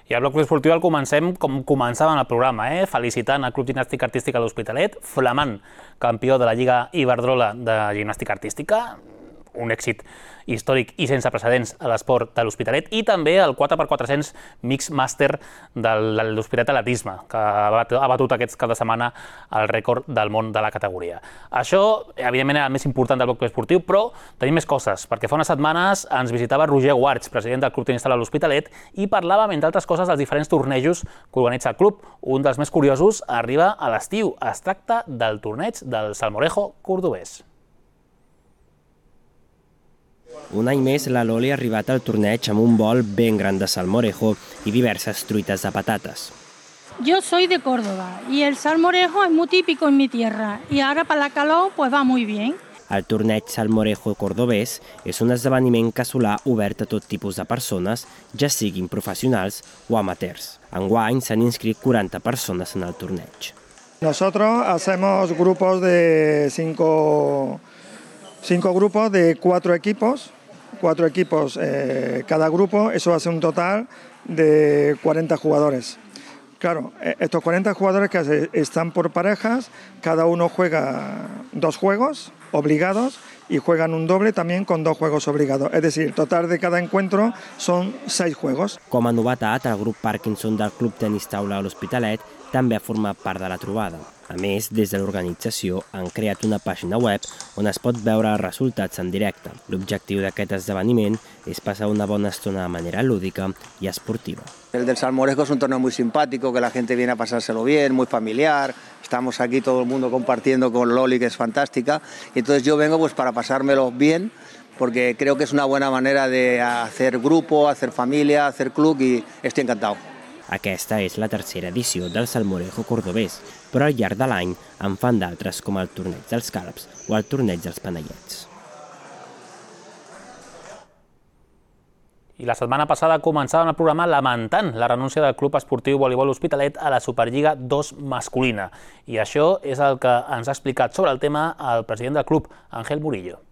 A: I el bloc poliesportiu el comencem com començàvem el programa, eh? Felicitant el Club Gimnàstica Artística de l'Hospitalet, flamant campió de la Lliga Iberdrola de Gimnàstica Artística, un èxit històric i sense precedents a l'esport de l'Hospitalet, i també el quatre per quatre-cents Mix Master de l'Hospitalet Atletisme, que ha batut aquest cap de setmana el rècord del món de la categoria. Això, evidentment, era el més important del bloc esportiu, però tenim més coses, perquè fa unes setmanes ens visitava Roger Guards, president del Club Tenis Taula de l'Hospitalet, i parlàvem, entre altres coses, dels diferents tornejos que organitza el club. Un dels més curiosos arriba a l'estiu. Es tracta del torneig del Salmorejo cordobès.
E: Un any més, la Loli ha arribat al torneig amb un bol ben gran de salmorejo y diversas truitas de patatas.
F: Yo soy de Córdoba y el salmorejo es muy típico en mi tierra y ahora para la calor pues va muy bien.
E: El torneig Salmorejo cordobès és un esdeveniment casolà obert a tot tipus de persones, ja siguin professionals o amateurs. Enguany s'han inscrit quaranta persones en el torneig.
G: Nosotros hacemos grupos de cinco, cinco grupos de cuatro equipos, cuatro equipos eh, cada grupo, eso hace un total de cuarenta jugadores. Claro, estos cuarenta jugadores que están por parejas, cada uno juega dos juegos obligados y juegan un doble también con dos juegos obligados. Es decir, el total de cada encuentro son seis juegos.
E: Com a novetat, el grup Parkinson del Club Tenis Taula de l'Hospitalet també ha format part de la trobada. A més, des de l'organització han creat una pàgina web on es pot veure els resultats en directe. L'objectiu d'aquest esdeveniment és passar una bona estona de manera lúdica y esportiva.
H: El del Salmorejo es un torneo muy simpático, que la gente viene a pasárselo bien, muy familiar. Estamos aquí todo el mundo compartiendo con Loli, que es fantástica. Y entonces yo vengo pues para pasármelo bien, porque creo que es una buena manera de hacer grupo, hacer familia, hacer club y estoy encantado.
E: Aquesta és la tercera edició del Salmorejo cordobès, però al llarg de l'any en fan d'altres com el torneig dels Calps o el torneig dels Panellets.
A: I la setmana passada començàvem el programa lamentant la renúncia del Club Esportiu Voleibol Hospitalet a la Superliga dos masculina. I això és el que ens ha explicat sobre el tema el president del club, Ángel Murillo.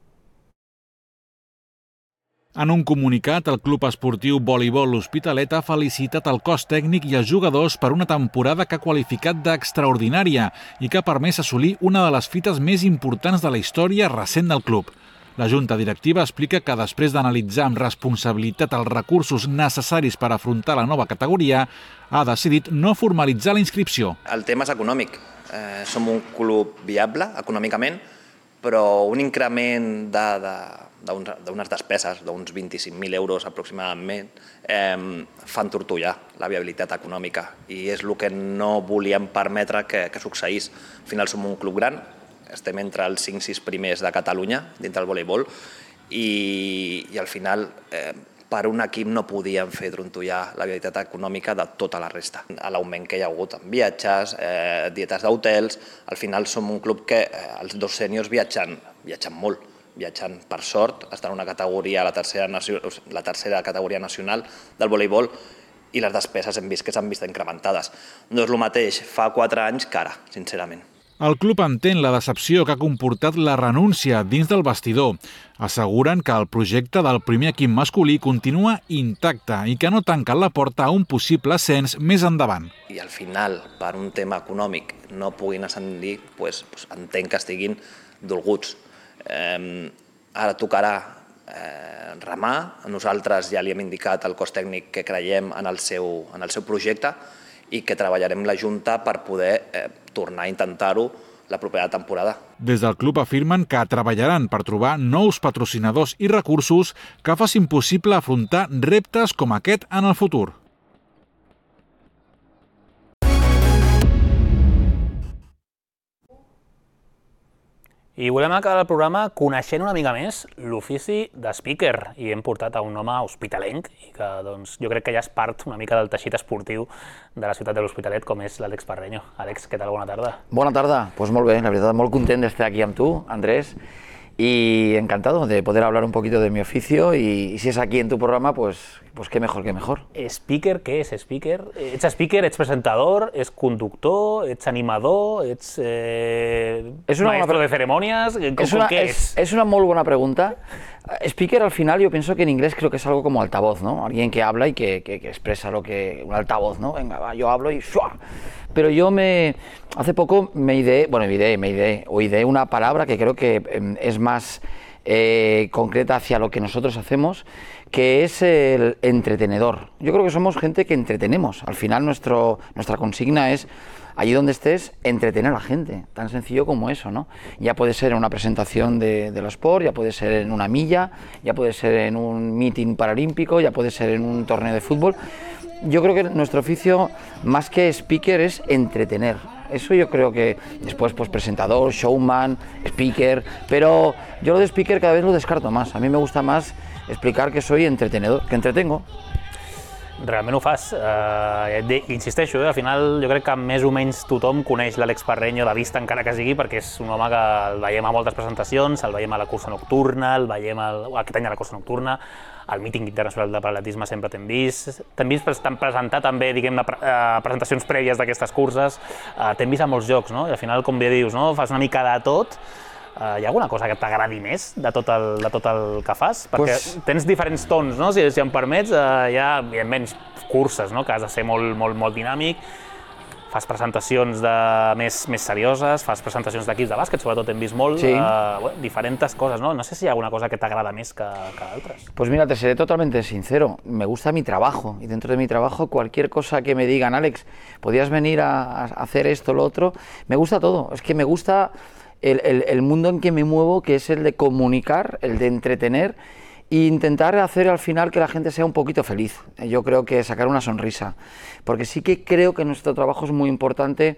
I: En un comunicat, el Club Esportiu Voleibol Hospitalet ha felicitat el cos tècnic i els jugadors per una temporada que ha qualificat d'extraordinària i que ha permès assolir una de les fites més importants de la història recent del club. La Junta Directiva explica que després d'analitzar amb responsabilitat els recursos necessaris per afrontar la nova categoria, ha decidit no formalitzar la inscripció.
J: El tema és econòmic. Eh, som un club viable econòmicament, però un increment de, de, d'unes despeses d'uns vint-i-cinc mil euros aproximadament eh, fan tortollar la viabilitat econòmica i és el que no volíem permetre que, que succeís. Al final som un club gran, estem entre els cinc sis primers de Catalunya dintre del voleibol i, i al final eh, per un equip no podíem fer trontollar la viabilitat econòmica de tota la resta. L'augment que hi ha hagut en viatges, eh, dietes d'hotels, al final som un club que eh, els dos sèniors viatgen, viatgen molt, viatgen per sort, estan en una categoria, la tercera, la tercera categoria nacional del voleibol i les despeses hem vist que s'han vist incrementades. No és el mateix fa quatre anys que ara, sincerament.
I: El club entén la decepció que ha comportat la renúncia dins del vestidor. Asseguren que el projecte del primer equip masculí continua intacte i que no tanquen la porta a un possible ascens més endavant.
J: I al final, per un tema econòmic, no puguin ascendir, pues, pues entenc que estiguin dolguts. Eh, ara tocarà eh, remar. Nosaltres ja li hem indicat al cos tècnic que creiem en el seu, en el seu projecte i que treballarem la Junta per poder eh, tornar a intentar-ho la propera temporada.
I: Des del club afirmen que treballaran per trobar nous patrocinadors i recursos que facin possible afrontar reptes com aquest en el futur.
A: I volem acabar el programa coneixent una mica més l'ofici de speaker i hem portat a un home hospitalenc i que doncs, jo crec que ja és part una mica del teixit esportiu de la ciutat de l'Hospitalet com és l'Àlex Parreño. Àlex, què tal? Bona tarda.
K: Bona tarda, doncs molt bé, la veritat molt content d'estar aquí amb tu, Andrés, y encantado de poder hablar un poquito de mi oficio y, y si es aquí en tu programa, pues, pues qué mejor, qué mejor.
A: Speaker, què és speaker? Ets speaker, ets presentador, ets conductor, ets animador, ets eh,
K: és una
A: maestro
K: bona...
A: de ceremonías? Com,
K: es una,
A: ¿qué
K: es,
A: es?
K: es una muy buena pregunta. Speaker al final yo pienso que en inglés creo que es algo como altavoz, ¿no? Alguien que habla y que, que, que expresa lo que... un altavoz, ¿no? Venga, va, yo hablo y ¡shua! Pero yo me... hace poco me ideé, bueno, me ideé, me ideé, o ideé una palabra que creo que eh, es más eh, concreta hacia lo que nosotros hacemos, que es el entretenedor. Yo creo que somos gente que entretenemos. Al final nuestro, nuestra consigna es, allí donde estés, entretener a la gente. Tan sencillo como eso, ¿no? Ya puede ser en una presentación de, de los sport, ya puede ser en una milla, ya puede ser en un meeting paralímpico, ya puede ser en un torneo de fútbol. Yo creo que nuestro oficio, más que speaker, es entretener. Eso yo creo que después, pues presentador, showman, speaker, pero yo lo de speaker cada vez lo descarto más. A mí me gusta más explicar que soy entretenedor, que entretengo.
A: Realment ho fas. Uh, insisteixo, eh? Al final jo crec que més o menys tothom coneix l'Àlex Parreño de vista, encara que sigui, perquè és un home que el veiem a moltes presentacions, el veiem a la cursa nocturna, el veiem al, aquest any a la cursa nocturna, al míting internacional de paraletisme sempre t'hem vist, t'hem vist presentar també, diguem, uh, presentacions prèvies d'aquestes curses, uh, t'hem vist a molts jocs, no? I al final, com bé dius, no? Fas una mica de tot. Uh, hi ha alguna cosa que t'agradi més de tot, el, de tot el que fas? Perquè pues... tens diferents tons, no? Si, si em permets, uh, hi ha, evidentment, curses, no? Que has de ser molt, molt, molt dinàmic, fas presentacions de més, més serioses, fas presentacions d'equips de bàsquet, sobretot hem vist molt, sí. uh, bueno, diferents coses, ¿no? No sé si hi ha alguna cosa que t'agrada més que, que altres.
K: Pues mira, te seré totalmente sincero, me gusta mi trabajo, y dentro de mi trabajo cualquier cosa que me digan, Àlex, ¿podrías venir a, a hacer esto, lo otro? Me gusta todo, es que me gusta... El, el, el mundo en que me muevo, que es el de comunicar, el de entretener e intentar hacer al final que la gente sea un poquito feliz. Yo creo que sacar una sonrisa, porque sí que creo que nuestro trabajo es muy importante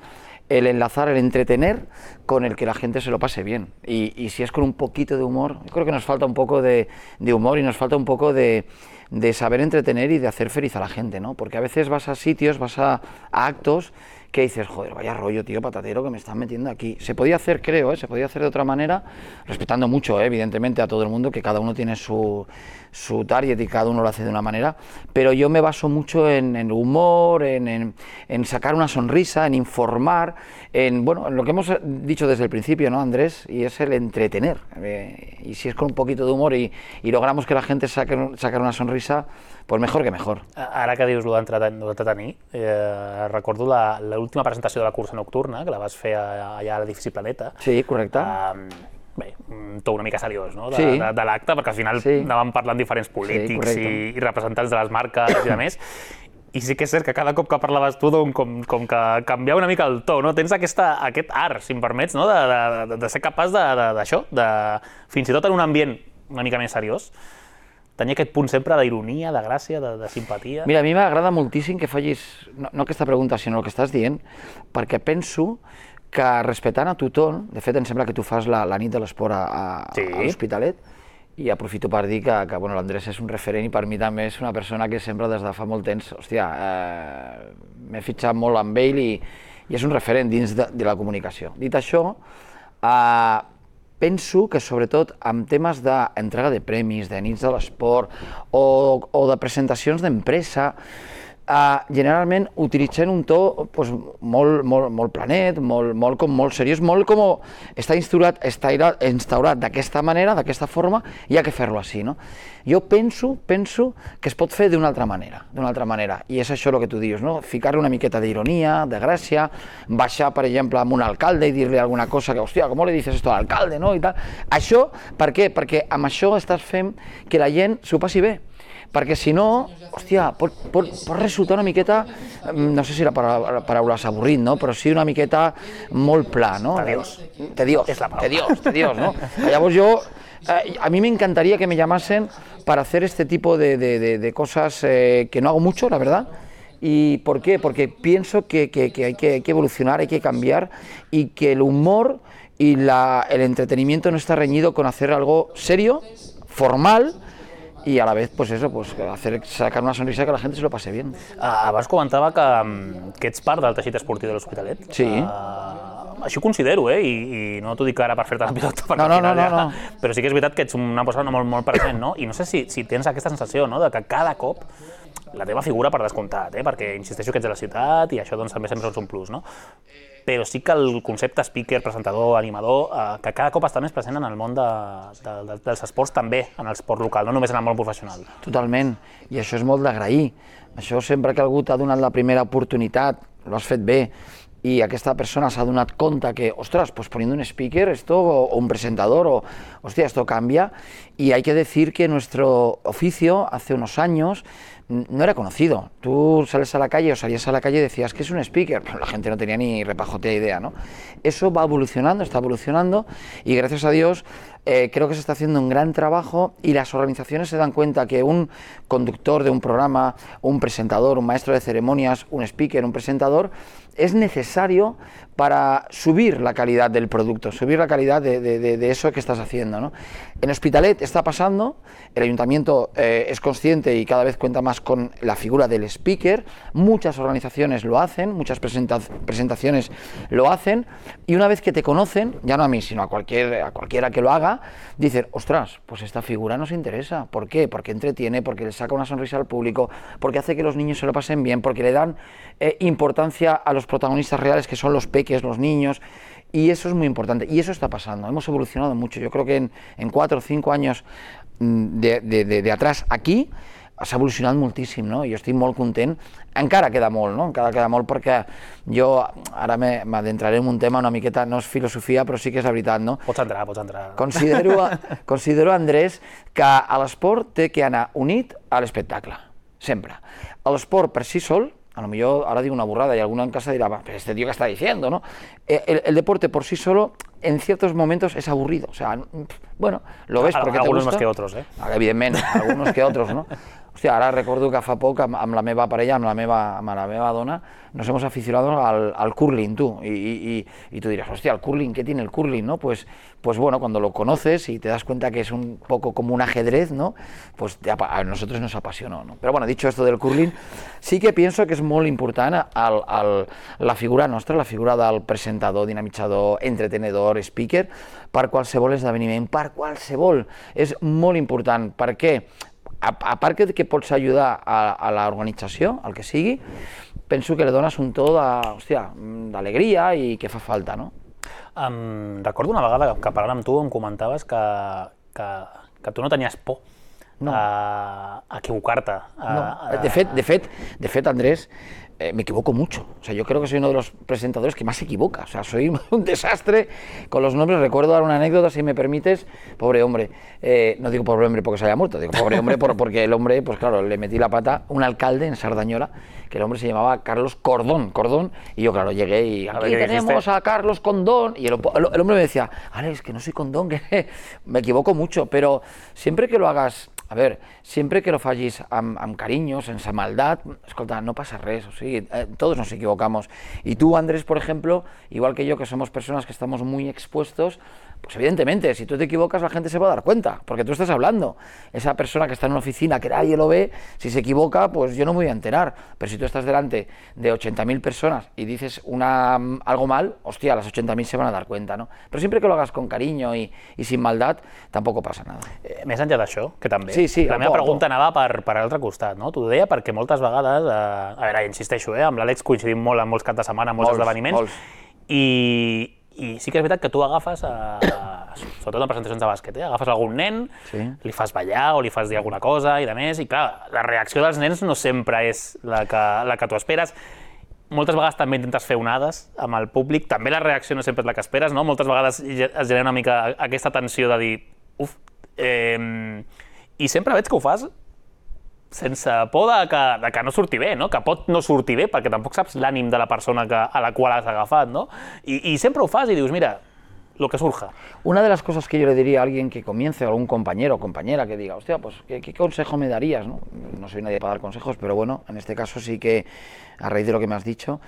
K: el enlazar, el entretener con el que la gente se lo pase bien. Y, y si es con un poquito de humor, yo creo que nos falta un poco de, de humor y nos falta un poco de, de saber entretener y de hacer feliz a la gente, ¿no? Porque a veces vas a sitios, vas a, a actos que dices, joder, vaya rollo, tío, patatero que me están metiendo aquí. Se podía hacer, creo, ¿eh? Se podía hacer de otra manera, respetando mucho, ¿eh? Evidentemente, a todo el mundo, que cada uno tiene su, su target y cada uno lo hace de una manera, pero yo me baso mucho en el humor, en, en, en sacar una sonrisa, en informar, en, bueno, en lo que hemos dicho desde el principio, ¿no, Andrés? Y es el entretener. Eh, y si es con un poquito de humor y, y logramos que la gente saque, saque una sonrisa, pues mejor que mejor.
A: Ara que dius d'entretenir, eh, recordo l'última presentació de la cursa nocturna, que la vas fer allà a l'edifici Planeta.
K: Sí, correcte.
A: Eh, bé, un to una mica seriós, no?, de,
K: sí.
A: de, de l'acte, perquè al final sí. anàvem parlant diferents polítics sí, i, i representants de les marques i de més. I sí que és cert que cada cop que parlaves tu, doncs, com, com que canviava una mica el to, no? Tens aquesta, aquest art, si em permets, no? de, de, de ser capaç d'això, de, de, fins i tot en un ambient una mica més seriós, tenir aquest punt sempre d'ironia, de gràcia, de, de simpatia.
K: Mira, a mi m'agrada moltíssim que facis, no, no aquesta pregunta, sinó el que estàs dient, perquè penso que respectant a tothom, de fet em sembla que tu fas la, la nit de l'esport a, a, sí. a l'Hospitalet, i aprofito per dir que, que bueno, l'Andrés és un referent i per mi també és una persona que sempre des de fa molt temps, hòstia, eh, m'he fitxat molt amb ell i, i és un referent dins de, de la comunicació. Dit això, eh, penso que sobretot amb temes d'entrega de premis, de nits de l'esport o, o de presentacions d'empresa, Uh, generalment utilitzen un to pues, molt, molt, molt planet, molt, molt, com, molt seriós, molt com està instaurat, està instaurat d'aquesta manera, d'aquesta forma, i ha que fer-lo així. No? Jo penso, penso que es pot fer d'una altra manera, d'una altra manera, i és això el que tu dius, no? Ficar-li una miqueta d'ironia, de gràcia, baixar, per exemple, amb un alcalde i dir-li alguna cosa que, hòstia, com le dices esto al alcalde, no? I tal. Això, per què? Perquè amb això estàs fent que la gent s'ho passi bé. Perquè si no, hòstia, pot, pot, pot resultar una miqueta, no sé si la paraula, la paraula és avorrit, no? Però sí una miqueta molt pla, no?
A: Tediós.
K: Tediós, tediós, tediós, ¿no? Llavors yo, eh, a mí me encantaría que me llamasen para hacer este tipo de, de, de, de cosas eh, que no hago mucho, la verdad. ¿Y por qué? Porque pienso que, que, que, hay que hay que evolucionar, hay que cambiar y que el humor y la, el entretenimiento no está reñido con hacer algo serio, formal, y a la vez, pues eso, pues hacer, sacar una sonrisa que la gente se lo pase bien.
A: Uh, abans comentava que, que ets part del teixit esportiu de l'Hospitalet.
K: Sí.
A: Uh, així ho considero, eh? I, i no t'ho dic ara per fer-te la pilota, perquè
K: no, no,
A: al final
K: no,
A: ja...
K: no, no.
A: Però sí que és veritat que ets una persona molt, molt present, no? I no sé si, si tens aquesta sensació, no?, de que cada cop la teva figura, per descomptat, eh? Perquè insisteixo que ets de la ciutat i això doncs, també sempre és un plus, no? Però sí que el concepte speaker, presentador, animador, eh, que cada cop està més present en el món de, de, de, dels esports també, en l'esport local, no només en el món professional.
K: Totalment, i això és molt d'agrair. Això sempre que algú t'ha donat la primera oportunitat, lo has fet bé, y aquesta persona s'ha donat compte que, ostras, pues poniendo un speaker esto, o, o un presentador, o, hostia, esto cambia, y hay que decir que nuestro oficio hace unos años no era conocido. Tú sales a la calle o salías a la calle y decías que es un speaker, pero la gente no tenía ni repajotea idea, ¿no? Eso va evolucionando, está evolucionando, y gracias a Dios eh, creo que se está haciendo un gran trabajo, y las organizaciones se dan cuenta que un conductor de un programa, un presentador, un maestro de ceremonias, un speaker, un presentador, es necesario para subir la calidad del producto, subir la calidad de, de, de, de eso que estás haciendo, ¿no? En Hospitalet está pasando, el ayuntamiento eh, es consciente y cada vez cuenta más con la figura del speaker, muchas organizaciones lo hacen, muchas presenta presentaciones lo hacen, y una vez que te conocen, ya no a mí, sino a, cualquier, a cualquiera que lo haga, dicen, ostras, pues esta figura nos interesa. ¿Por qué? Porque entretiene, porque le saca una sonrisa al público, porque hace que los niños se lo pasen bien, porque le dan eh, importancia a los protagonistas reales, que son los peques, los niños, y eso es muy importante, y eso está pasando. Hemos evolucionado mucho. Yo creo que en, en cuatro o cinco años de, de, de, de atrás aquí s'ha evolucionat moltíssim, no? Jo estic molt content. Encara queda molt, no? Encara queda molt, perquè jo ara m'adentraré en un tema una miqueta, no és filosofia, però sí que és la veritat, no?
A: Pots entrar, pots entrar.
K: Considero, considero, Andrés, que a l'esport té que anar unit a l'espectacle, sempre. L'esport per si sol, a lo mejor ahora digo una burrada y alguno en casa dirá, pero este tío que está diciendo, ¿no? El, el deporte por sí solo en ciertos momentos es aburrido, o sea, bueno, lo ves porque te gusta.
A: Algunos más que otros, eh?
K: Evidentment, algunos que otros, no? Hòstia, ara recordo que fa poc amb, amb la meva parella, amb la meva, amb la meva dona, nos hemos aficionado al, al curling, tú, y, y, y tú dirás, hostia, el curling, ¿qué tiene el curling, no? Pues, pues bueno, cuando lo conoces y te das cuenta que es un poco como un ajedrez, ¿no? Pues te, a nosotros nos apasionó, ¿no? Pero bueno, dicho esto del curling, sí que pienso que és molt important el, el, la figura nostra, la figura del presentador, dinamitzador, entretenedor, speaker, per qualsevol esdeveniment, per qualsevol. És molt important, perquè a, a part que, que pots ajudar a, a l'organització, al que sigui, penso que li dones un to d'alegria i que fa falta, no?
A: Um, recordo una vegada que parlant amb tu em comentaves que, que, que tu no tenies por
K: no.
A: a, a equivocar-te.
K: No. De fet, de fet, de fet, Andrés, Eh, me equivoco mucho. O sea, yo creo que soy uno de los presentadores que más se equivoca. O sea, soy un desastre con los nombres. Recuerdo dar una anécdota, si me permites. Pobre hombre. Eh, no digo pobre hombre porque se haya muerto, digo pobre hombre por, porque el hombre, pues claro, le metí la pata. Un alcalde en Sardañola, que el hombre se llamaba Carlos Cordón. Cordón. Y yo, claro, llegué y aquí tenemos a Carlos Condón. Y el, el, el hombre me decía, Alex, que no soy Condón, que me equivoco mucho. Pero siempre que lo hagas... A ver, sempre que lo facis amb, amb carinyo, sense maldat, escolta, no passa res, o sigui, eh, todos nos equivocamos. Y tú, Andrés, por ejemplo, igual que yo, que somos personas que estamos muy expuestos, pues evidentemente, si tú te equivocas, la gente se va a dar cuenta, porque tú estás hablando. Esa persona que está en una oficina, que nadie lo ve, si se equivoca, pues yo no me voy a enterar. Pero si tú estás delante de ochenta mil personas y dices una, algo mal, hostia, las ochenta mil se van a dar cuenta, ¿no? Pero siempre que lo hagas con cariño y, y sin maldad, tampoco pasa nada.
A: Eh, més enllà d'això, que també,
K: sí, sí.
A: La meva pregunta anava per, per l'altre costat, no? T'ho deia perquè moltes vegades, eh, a veure, insisteixo, eh, amb l'Àlex coincidim molt en molts caps de setmana, en molts, molts esdeveniments, molts. I, i sí que és veritat que tu agafes, a, a, sobretot en presentacions de bàsquet, eh, agafes algun nen, sí. li fas ballar o li fas dir alguna cosa i de més, i clar, la reacció dels nens no sempre és la que, la que tu esperes. Moltes vegades també intentes fer onades amb el públic, també la reacció no sempre és la que esperes, no? Moltes vegades es genera una mica aquesta tensió de dir, uf, eh, i sempre veig que ho fas sense por de que, de que no surti bé, no? Que pot no sortir bé, perquè tampoc saps l'ànim de la persona que, a la qual has agafat, no? I, i sempre ho fas i dius, mira, lo que surja.
K: Una de las cosas que yo le diría a alguien que comience, o algún compañero o compañera que diga, hostia, pues, ¿qué, qué consejo me darías? ¿no? no soy nadie para dar consejos, pero bueno, en este caso sí que, a raíz de lo que me has dicho,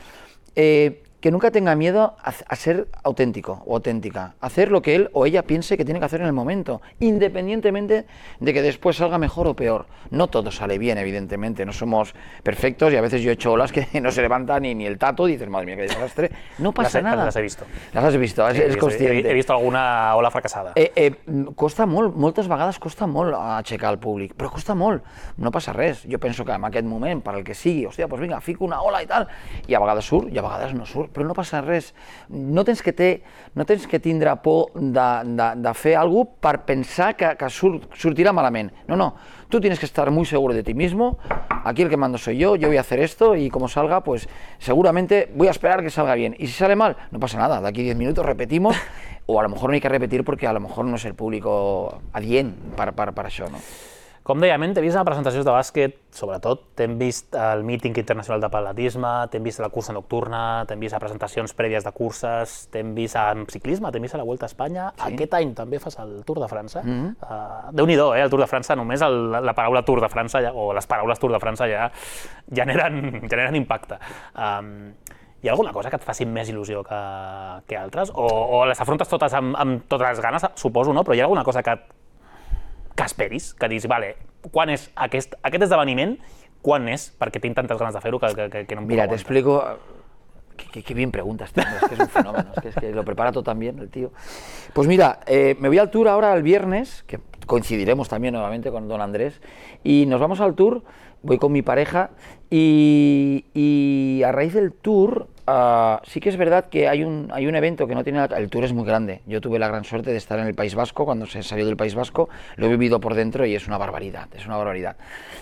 K: eh, que nunca tenga miedo a, a ser auténtico o auténtica, a hacer lo que él o ella piense que tiene que hacer en el momento, independientemente de que después salga mejor o peor. No todo sale bien, evidentemente, no somos perfectos y a veces yo he hecho olas que no se levanta ni, ni el tato y dices, madre mía, qué desastre. No pasa
A: las,
K: nada.
A: Las he visto.
K: Las has visto,
A: sí,
K: eres consciente.
A: He, he visto alguna ola fracassada.
K: Eh, eh, costa molt, moltes vegades costa molt aixecar el públic, però costa molt, no passa res. Jo penso que en aquest moment, per al que sigui, hòstia, doncs vinga, fico una ola i tal, i a vegades surt i a vegades no surt, però no passa res. No tens que, té, no tens que tindre por de, de, de fer alguna cosa per pensar que, que surt, sortirà malament. No, no, tú tienes que estar muy seguro de ti mismo, aquí el que mando soy yo, yo voy a hacer esto y como salga, pues seguramente voy a esperar que salga bien. Y si sale mal, no pasa nada, de aquí diez minutos repetimos, o a lo mejor no hay que repetir porque a lo mejor no es el público adient per, per, per això, no?
A: Com deia, t'he vist a presentacions de bàsquet, sobretot, t'hem vist al míting internacional de atletisme, t'hem vist a la cursa nocturna, t'hem vist a presentacions prèvies de curses, t'hem vist en ciclisme, t'hem vist a la Vuelta a Espanya. Sí. Aquest any també fas el Tour de França. Mm-hmm. uh, Déu-n'hi-do, eh, el Tour de França, només el, la paraula Tour de França, ja, o les paraules Tour de França ja generen, generen impacte. Um, Hi ha alguna cosa que et faci més il·lusió que, que altres? O, o les afrontes totes amb, amb totes les ganes, suposo, no? Però hi ha alguna cosa que que esperis, que dius, vale, quan és aquest, aquest esdeveniment, quan és, perquè tinc tantes ganes de fer-ho que, que, que no em puc
K: Mira,
A: aguantar.
K: te explico, qué, qué bien preguntas, tío, es que es un fenómeno, es que, es que lo prepara todo tan bien el tío. Pues mira, eh, me voy al tour ahora el viernes, que coincidiremos también nuevamente con don Andrés, y nos vamos al tour, voy con mi pareja, y, y a raíz del tour, uh, sí que es verdad que hay un, hay un evento que no tiene... El tour es muy grande, yo tuve la gran suerte de estar en el País Vasco, cuando se salió del País Vasco, lo he vivido por dentro y es una barbaridad, es una barbaridad.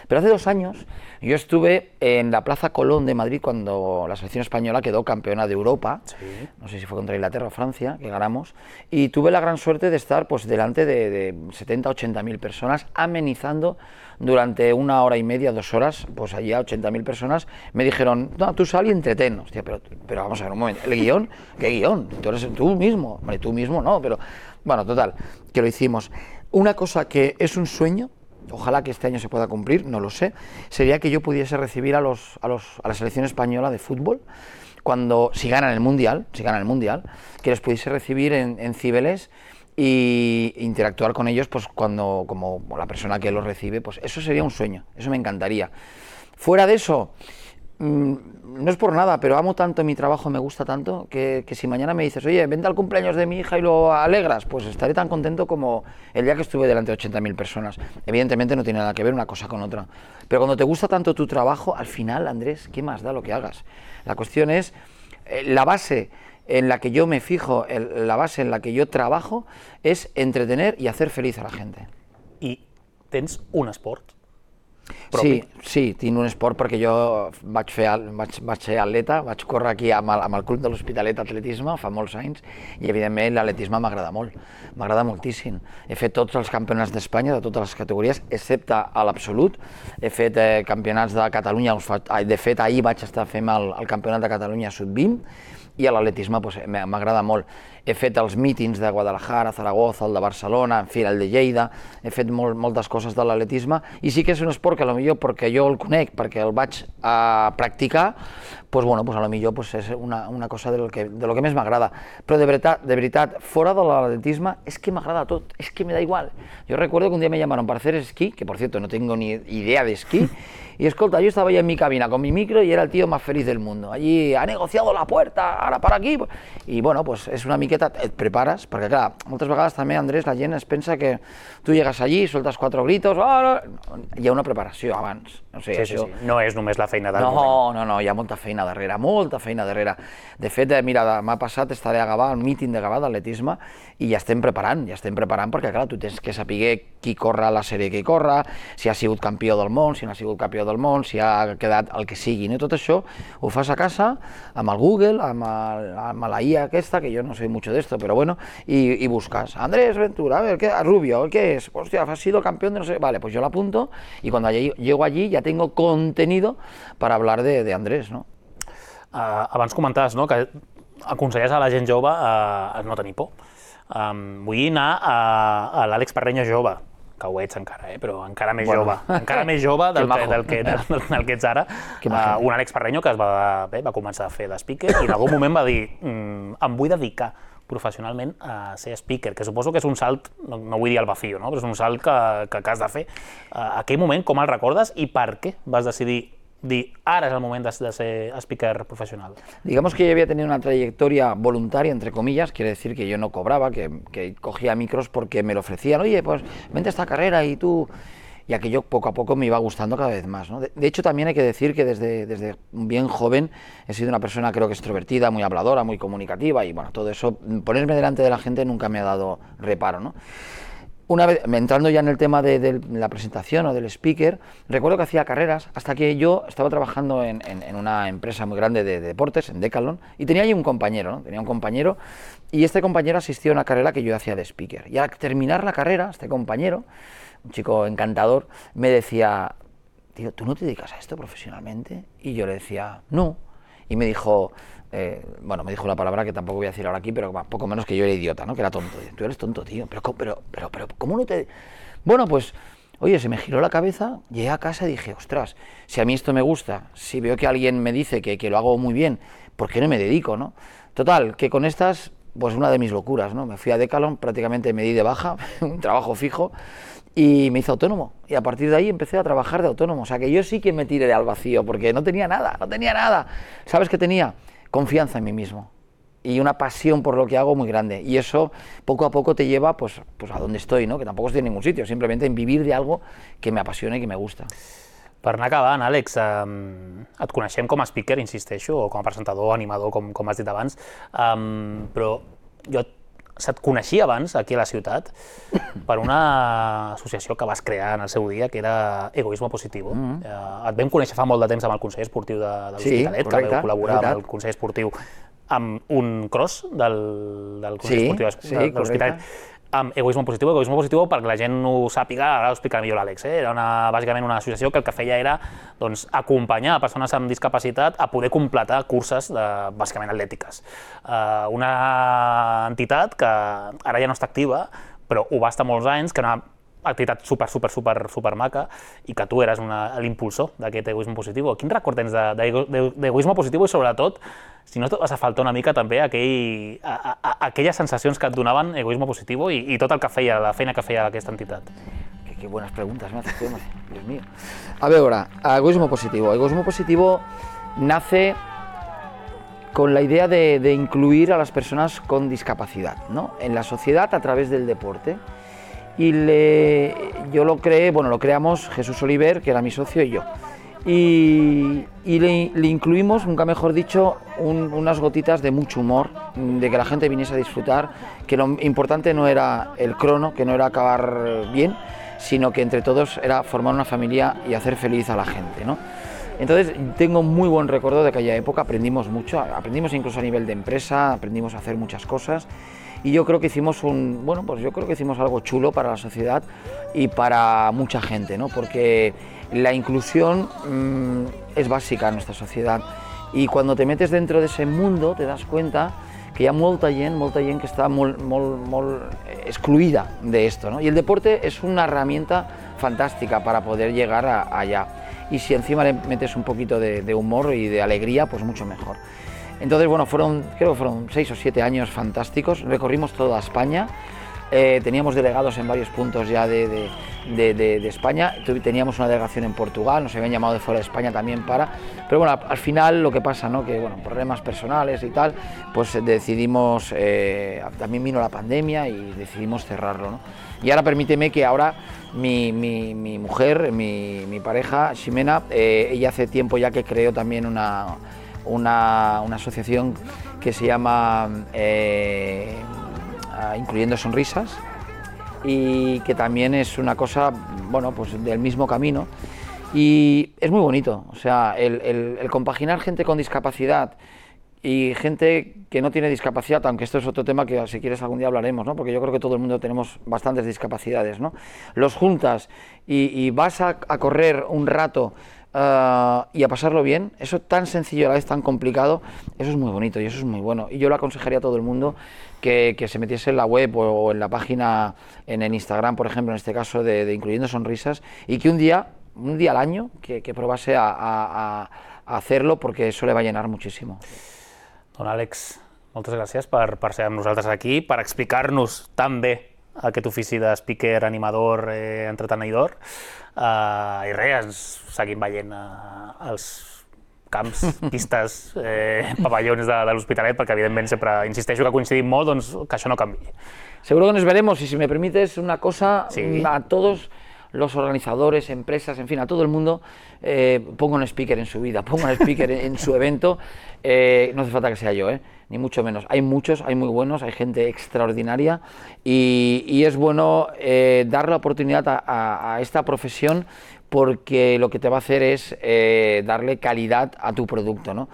K: Pero hace dos años yo estuve en la Plaza Colón de Madrid cuando la selección española quedó campeona de Europa, sí. No sé si fue contra Inglaterra o Francia, que ganamos, y tuve la gran suerte de estar pues delante de, de setenta, ochenta mil personas amenizando durante una hora y media, dos horas, pues allí a ochenta mil personas me dijeron, no, tú sal y entretén. Hostia, pero, pero vamos a ver un momento, ¿el guión? ¿Qué guión? Tú eres tú mismo, vale, tú mismo no, pero bueno, total, que lo hicimos. Una cosa que es un sueño, ojalá que este año se pueda cumplir, no lo sé, sería que yo pudiese recibir a, los, a, los, a la selección española de fútbol, cuando, si ganan el Mundial, si ganan el Mundial, que les pudiese recibir en, en Cibeles y interactuar con ellos pues cuando, como la persona que los recibe, pues eso sería un sueño, eso me encantaría. Fuera de eso, mmm, no es por nada, pero amo tanto mi trabajo, me gusta tanto, que, que si mañana me dices, oye, vente al cumpleaños de mi hija y lo alegras, pues estaré tan contento como el día que estuve delante de ochenta mil personas. Evidentemente no tiene nada que ver una cosa con otra, pero cuando te gusta tanto tu trabajo, al final, Andrés, ¿qué más da lo que hagas? La cuestión es, eh, la base en la que yo me fijo, el, la base en la que yo trabajo, es entretener y hacer feliz a la gente.
A: I tens un esport?
K: Propi. Sí, sí, tinc un esport perquè jo vaig, fer, vaig, vaig ser atleta, vaig córrer aquí amb el, amb el club de l'Hospitalet Atletisme fa molts anys i evidentment l'atletisme m'agrada molt, m'agrada moltíssim. He fet tots els campionats d'Espanya de totes les categories, excepte a l'absolut. He fet eh, campionats de Catalunya, de fet ahir vaig estar fent el, el campionat de Catalunya sub vint i a l'atletisme pues, m'agrada molt. He fet els mítings de Guadalajara, Zaragoza, el de Barcelona, en fi, el de Lleida, he fet molt, moltes coses de l'atletisme i sí que és un esport que potser perquè jo el conec, perquè el vaig a practicar, pues bueno, pues a lo millor pues és una, una cosa de lo que, de lo que més m'agrada. Però de veritat, de veritat, fora de l'atletisme, és que m'agrada tot, és que me da igual. Yo recuerdo que un día me llamaron para hacer esquí, que por cierto no tengo ni idea de esquí, y escolta, yo estaba ahí en mi cabina con mi micro y era el tío más feliz del mundo. Allí ha negociado la puerta, ahora para aquí. I bueno, pues és una miqueta, et prepares, perquè clar, moltes vegades també, Andrés, la gent es pensa que tu llegues allí, sueltas cuatro gritos, ah, hi ha una preparació abans. O sigui,
A: sí, sí, sí. No és només la feina del
K: no,
A: moment.
K: No, no, hi ha molta feina darrere, molta feina darrere. De fet, mira, demà passat estaré a Gavà, al míting de Gavà d'atletisme, i ja estem preparant, ja estem preparant, perquè clar, tu tens que saber qui corre a la sèrie que hi corre, si ha sigut campió del món, si no ha sigut campió del món, si ha quedat el que sigui, no? Tot això ho fas a casa, amb el Google, amb, el, amb la I A aquesta, que jo no sé mucho de esto, pero bueno, y, y buscas, Andrés Ventura, a ver, ¿qué? Rubio, ¿qué es? Hostia, has sido campeón de no sé, vale, pues yo lo apunto, y cuando llego allí ya tengo contenido para hablar de, de Andrés, no?
A: Uh, abans comentaves, no?, que aconselles a la gent jove a, a no tenir por. Um, vull anar a, a l'Àlex Parreño jove, que ho ets encara, eh? Però encara més bueno. jove, encara més jove del, que, del, que, del, del que ets ara. Uh, un Àlex Parreño que es va, bé, va començar a fer de speaker i en algun moment va dir mm, em vull dedicar professionalment a ser speaker, que suposo que és un salt, no, no vull dir al vacío, no? Però és un salt que, que, que has de fer. Uh, aquell moment, com el recordes i per què vas decidir dir, ara és el moment de, de ser speaker profesional?
K: Digamos que yo había tenido una trayectoria voluntaria, entre comillas, quiere decir que yo no cobraba, que, que cogía micros porque me lo ofrecían, oye, pues vente a esta carrera y tú... Y aquello poco a poco me iba gustando cada vez más, ¿no? De, de hecho, también hay que decir que desde, desde bien joven he sido una persona, creo que extrovertida, muy habladora, muy comunicativa, y bueno, todo eso, ponerme delante de la gente nunca me ha dado reparo, ¿no? Una vez, entrando ya en el tema de, de la presentación o del speaker, recuerdo que hacía carreras hasta que yo estaba trabajando en, en, en una empresa muy grande de, de deportes, en Decathlon, y tenía allí un compañero, ¿no? Tenía un compañero, y este compañero asistió a una carrera que yo hacía de speaker. Y al terminar la carrera, este compañero, un chico encantador, me decía, tío, ¿tú no te dedicas a esto profesionalmente? Y yo le decía, no. Y me dijo... Eh, bueno, me dijo la palabra que tampoco voy a decir ahora aquí, pero poco menos que yo era idiota, ¿no? Que era tonto. Tú eres tonto, tío. Pero, pero, pero, pero, ¿cómo no te...? Bueno, pues, oye, se me giró la cabeza, llegué a casa y dije, ostras, si a mí esto me gusta, si veo que alguien me dice que, que lo hago muy bien, ¿por qué no me dedico, no? Total, que con estas, pues una de mis locuras, ¿no? Me fui a Decathlon, prácticamente me di de baja, un trabajo fijo, y me hice autónomo. Y a partir de ahí empecé a trabajar de autónomo. O sea, que yo sí que me tiré al vacío, porque no tenía nada, no tenía nada. ¿Sabes qué tenía? Confianza en mí mismo y una pasión por lo que hago muy grande, y eso poco a poco te lleva pues, pues a donde estoy, ¿no? Que tampoco estoy en ningún sitio, simplemente en vivir de algo que me apasiona i que me gusta.
A: Per anar acabant, Àlex, um, et coneixem com a speaker, insisteixo, o com a presentador, animador, com, com has dit abans, um, però jo se't coneixia abans, aquí a la ciutat, per una associació que vas crear en el seu dia, que era Egoismo Positivo. Mm-hmm. uh, et vam conèixer fa molt de temps amb el Consell Esportiu de, de l'Hospitalet, sí, que vau col·laborar amb el Consell Esportiu amb un cross del, del Consell
K: sí,
A: Esportiu de,
K: sí,
A: de l'Hospitalet. Amb Egoismo Positivo, Egoismo Positivo, perquè la gent ho sàpiga, ara ho explicarà millor l'Àlex, eh? Era una, bàsicament una associació que el que feia era doncs, acompanyar a persones amb discapacitat a poder completar curses de, bàsicament atlètiques. Uh, una entitat que ara ja no està activa, però ho va estar molts anys, que era una activitat super, super, super, super maca, i que tu eres l'impulsor d'aquest Egoismo Positivo. Quin record tens d'Egoismo Positivo i sobretot, si no et vas a faltar una mica també aquell, a, a, aquelles sensacions que et donaven Egoismo Positivo i, i tot el que feia, la feina que feia aquesta entitat?
K: Qué, qué buenas preguntas me haces, Dios mío. A ver, ahora, Egoismo Positivo. Egoismo Positivo nace con la idea de, de incluir a las personas con discapacidad, ¿no? En la sociedad a través del deporte. Y le, yo lo creé, bueno, lo creamos Jesús Oliver, que era mi socio, y yo. Y, y le, le incluimos, nunca mejor dicho, un, unas gotitas de mucho humor, de que la gente viniese a disfrutar, que lo importante no era el crono, que no era acabar bien, sino que entre todos era formar una familia y hacer feliz a la gente, ¿no? Entonces tengo muy buen recuerdo de aquella época, aprendimos mucho, aprendimos incluso a nivel de empresa, aprendimos a hacer muchas cosas. Y yo creo que hicimos un, bueno, pues yo creo que hicimos algo chulo para la sociedad y para mucha gente, ¿no? Porque la inclusión mmm, es básica en nuestra sociedad, y cuando te metes dentro de ese mundo te das cuenta que hi ha molta gent, molta gent que està molt, molt, molt excluida de esto, ¿no? Y el deporte es una herramienta fantástica para poder llegar a, allá. Y si encima le metes un poquito de, de humor y de alegría, pues mucho mejor. Entonces, bueno, fueron, creo que fueron seis o siete años fantásticos, recorrimos toda España, eh, teníamos delegados en varios puntos ya de, de, de, de, de España, teníamos una delegación en Portugal, nos habían llamado de fuera de España también para, pero bueno, al final lo que pasa, ¿no? Que bueno, problemas personales y tal, pues decidimos, eh, también vino la pandemia y decidimos cerrarlo, ¿no? Y ahora permíteme que ahora mi, mi, mi mujer, mi, mi pareja, Ximena, eh, ella hace tiempo ya que creó también una... Una, una asociación que se llama eh, Incluyendo Sonrisas y que también es una cosa, bueno, pues del mismo camino y es muy bonito, o sea, el, el, el compaginar gente con discapacidad y gente que no tiene discapacidad, aunque esto es otro tema que si quieres algún día hablaremos, ¿no? Porque yo creo que todo el mundo tenemos bastantes discapacidades, ¿no? Los juntas y, y vas a, a correr un rato Uh, y a pasarlo bien, eso tan sencillo a la vez tan complicado, eso es muy bonito y eso es muy bueno. Y yo le aconsejaría a todo el mundo que, que se metiese en la web o, o en la página, en el Instagram, por ejemplo, en este caso de, de Incluyendo Sonrisas, y que un día, un día al año, que, que probase a, a, a hacerlo porque eso le va a llenar muchísimo.
A: Don Àlex, moltes gràcies per, per ser amb nosaltres aquí, per explicar-nos tan bé aquest ofici de speaker, animador, eh, entretenidor. Uh, I res, ens seguim veient uh, els camps, pistes, eh, pavellons de, de l'Hospitalet, perquè evidentment sempre insisteixo que coincidim molt, doncs que això no canvi.
K: Seguro que nos veremos y si me permites una cosa,
A: sí.
K: A todos los organizadores, empresas, en fin, a todo el mundo, eh, pongo un speaker en su vida, pongo un speaker en, en su evento, eh, no hace falta que sea yo, eh, ni mucho menos. Hay muchos, hay muy buenos, hay gente extraordinaria y, y es bueno eh, dar la oportunidad a, a, a esta profesión porque lo que te va a hacer es eh, darle calidad a tu producto, ¿no?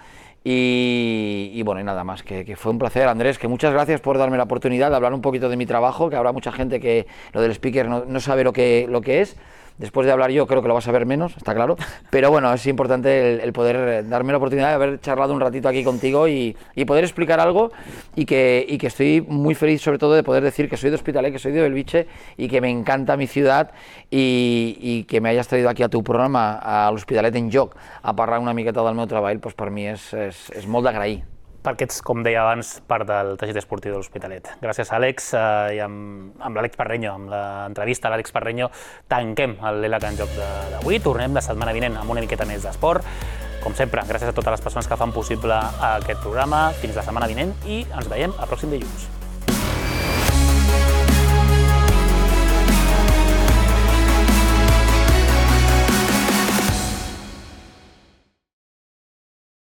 K: Y, y bueno, y nada más, que, que fue un placer, Andrés, que muchas gracias por darme la oportunidad de hablar un poquito de mi trabajo, que habrá mucha gente que lo del speaker no, no sabe lo que, lo que es. Después de hablar yo creo que lo vas a ver menos, está claro, pero bueno, es importante el, el poder darme la oportunidad de haber charlado un ratito aquí contigo y, y poder explicar algo y que, y que estoy muy feliz sobre todo de poder decir que soy de Hospitalet, que soy de Bellvitge y que me encanta mi ciudad y, y que me hayas traído aquí a tu programa, a l'Hospitalet en Joc, a parlar una miqueta del meu treball, doncs per mi és, és, és molt d'agrair.
A: Perquè ets, com deia abans, part del teixit esportiu de l'Hospitalet. Gràcies, Àlex, eh, i amb, amb l'Àlex Parreño, amb l'entrevista a l'Àlex Parreño, tanquem l'E L A C en Joc d'avui. Tornem la setmana vinent amb una miqueta més d'esport. Com sempre, gràcies a totes les persones que fan possible aquest programa. Fins la setmana vinent i ens veiem el pròxim dilluns.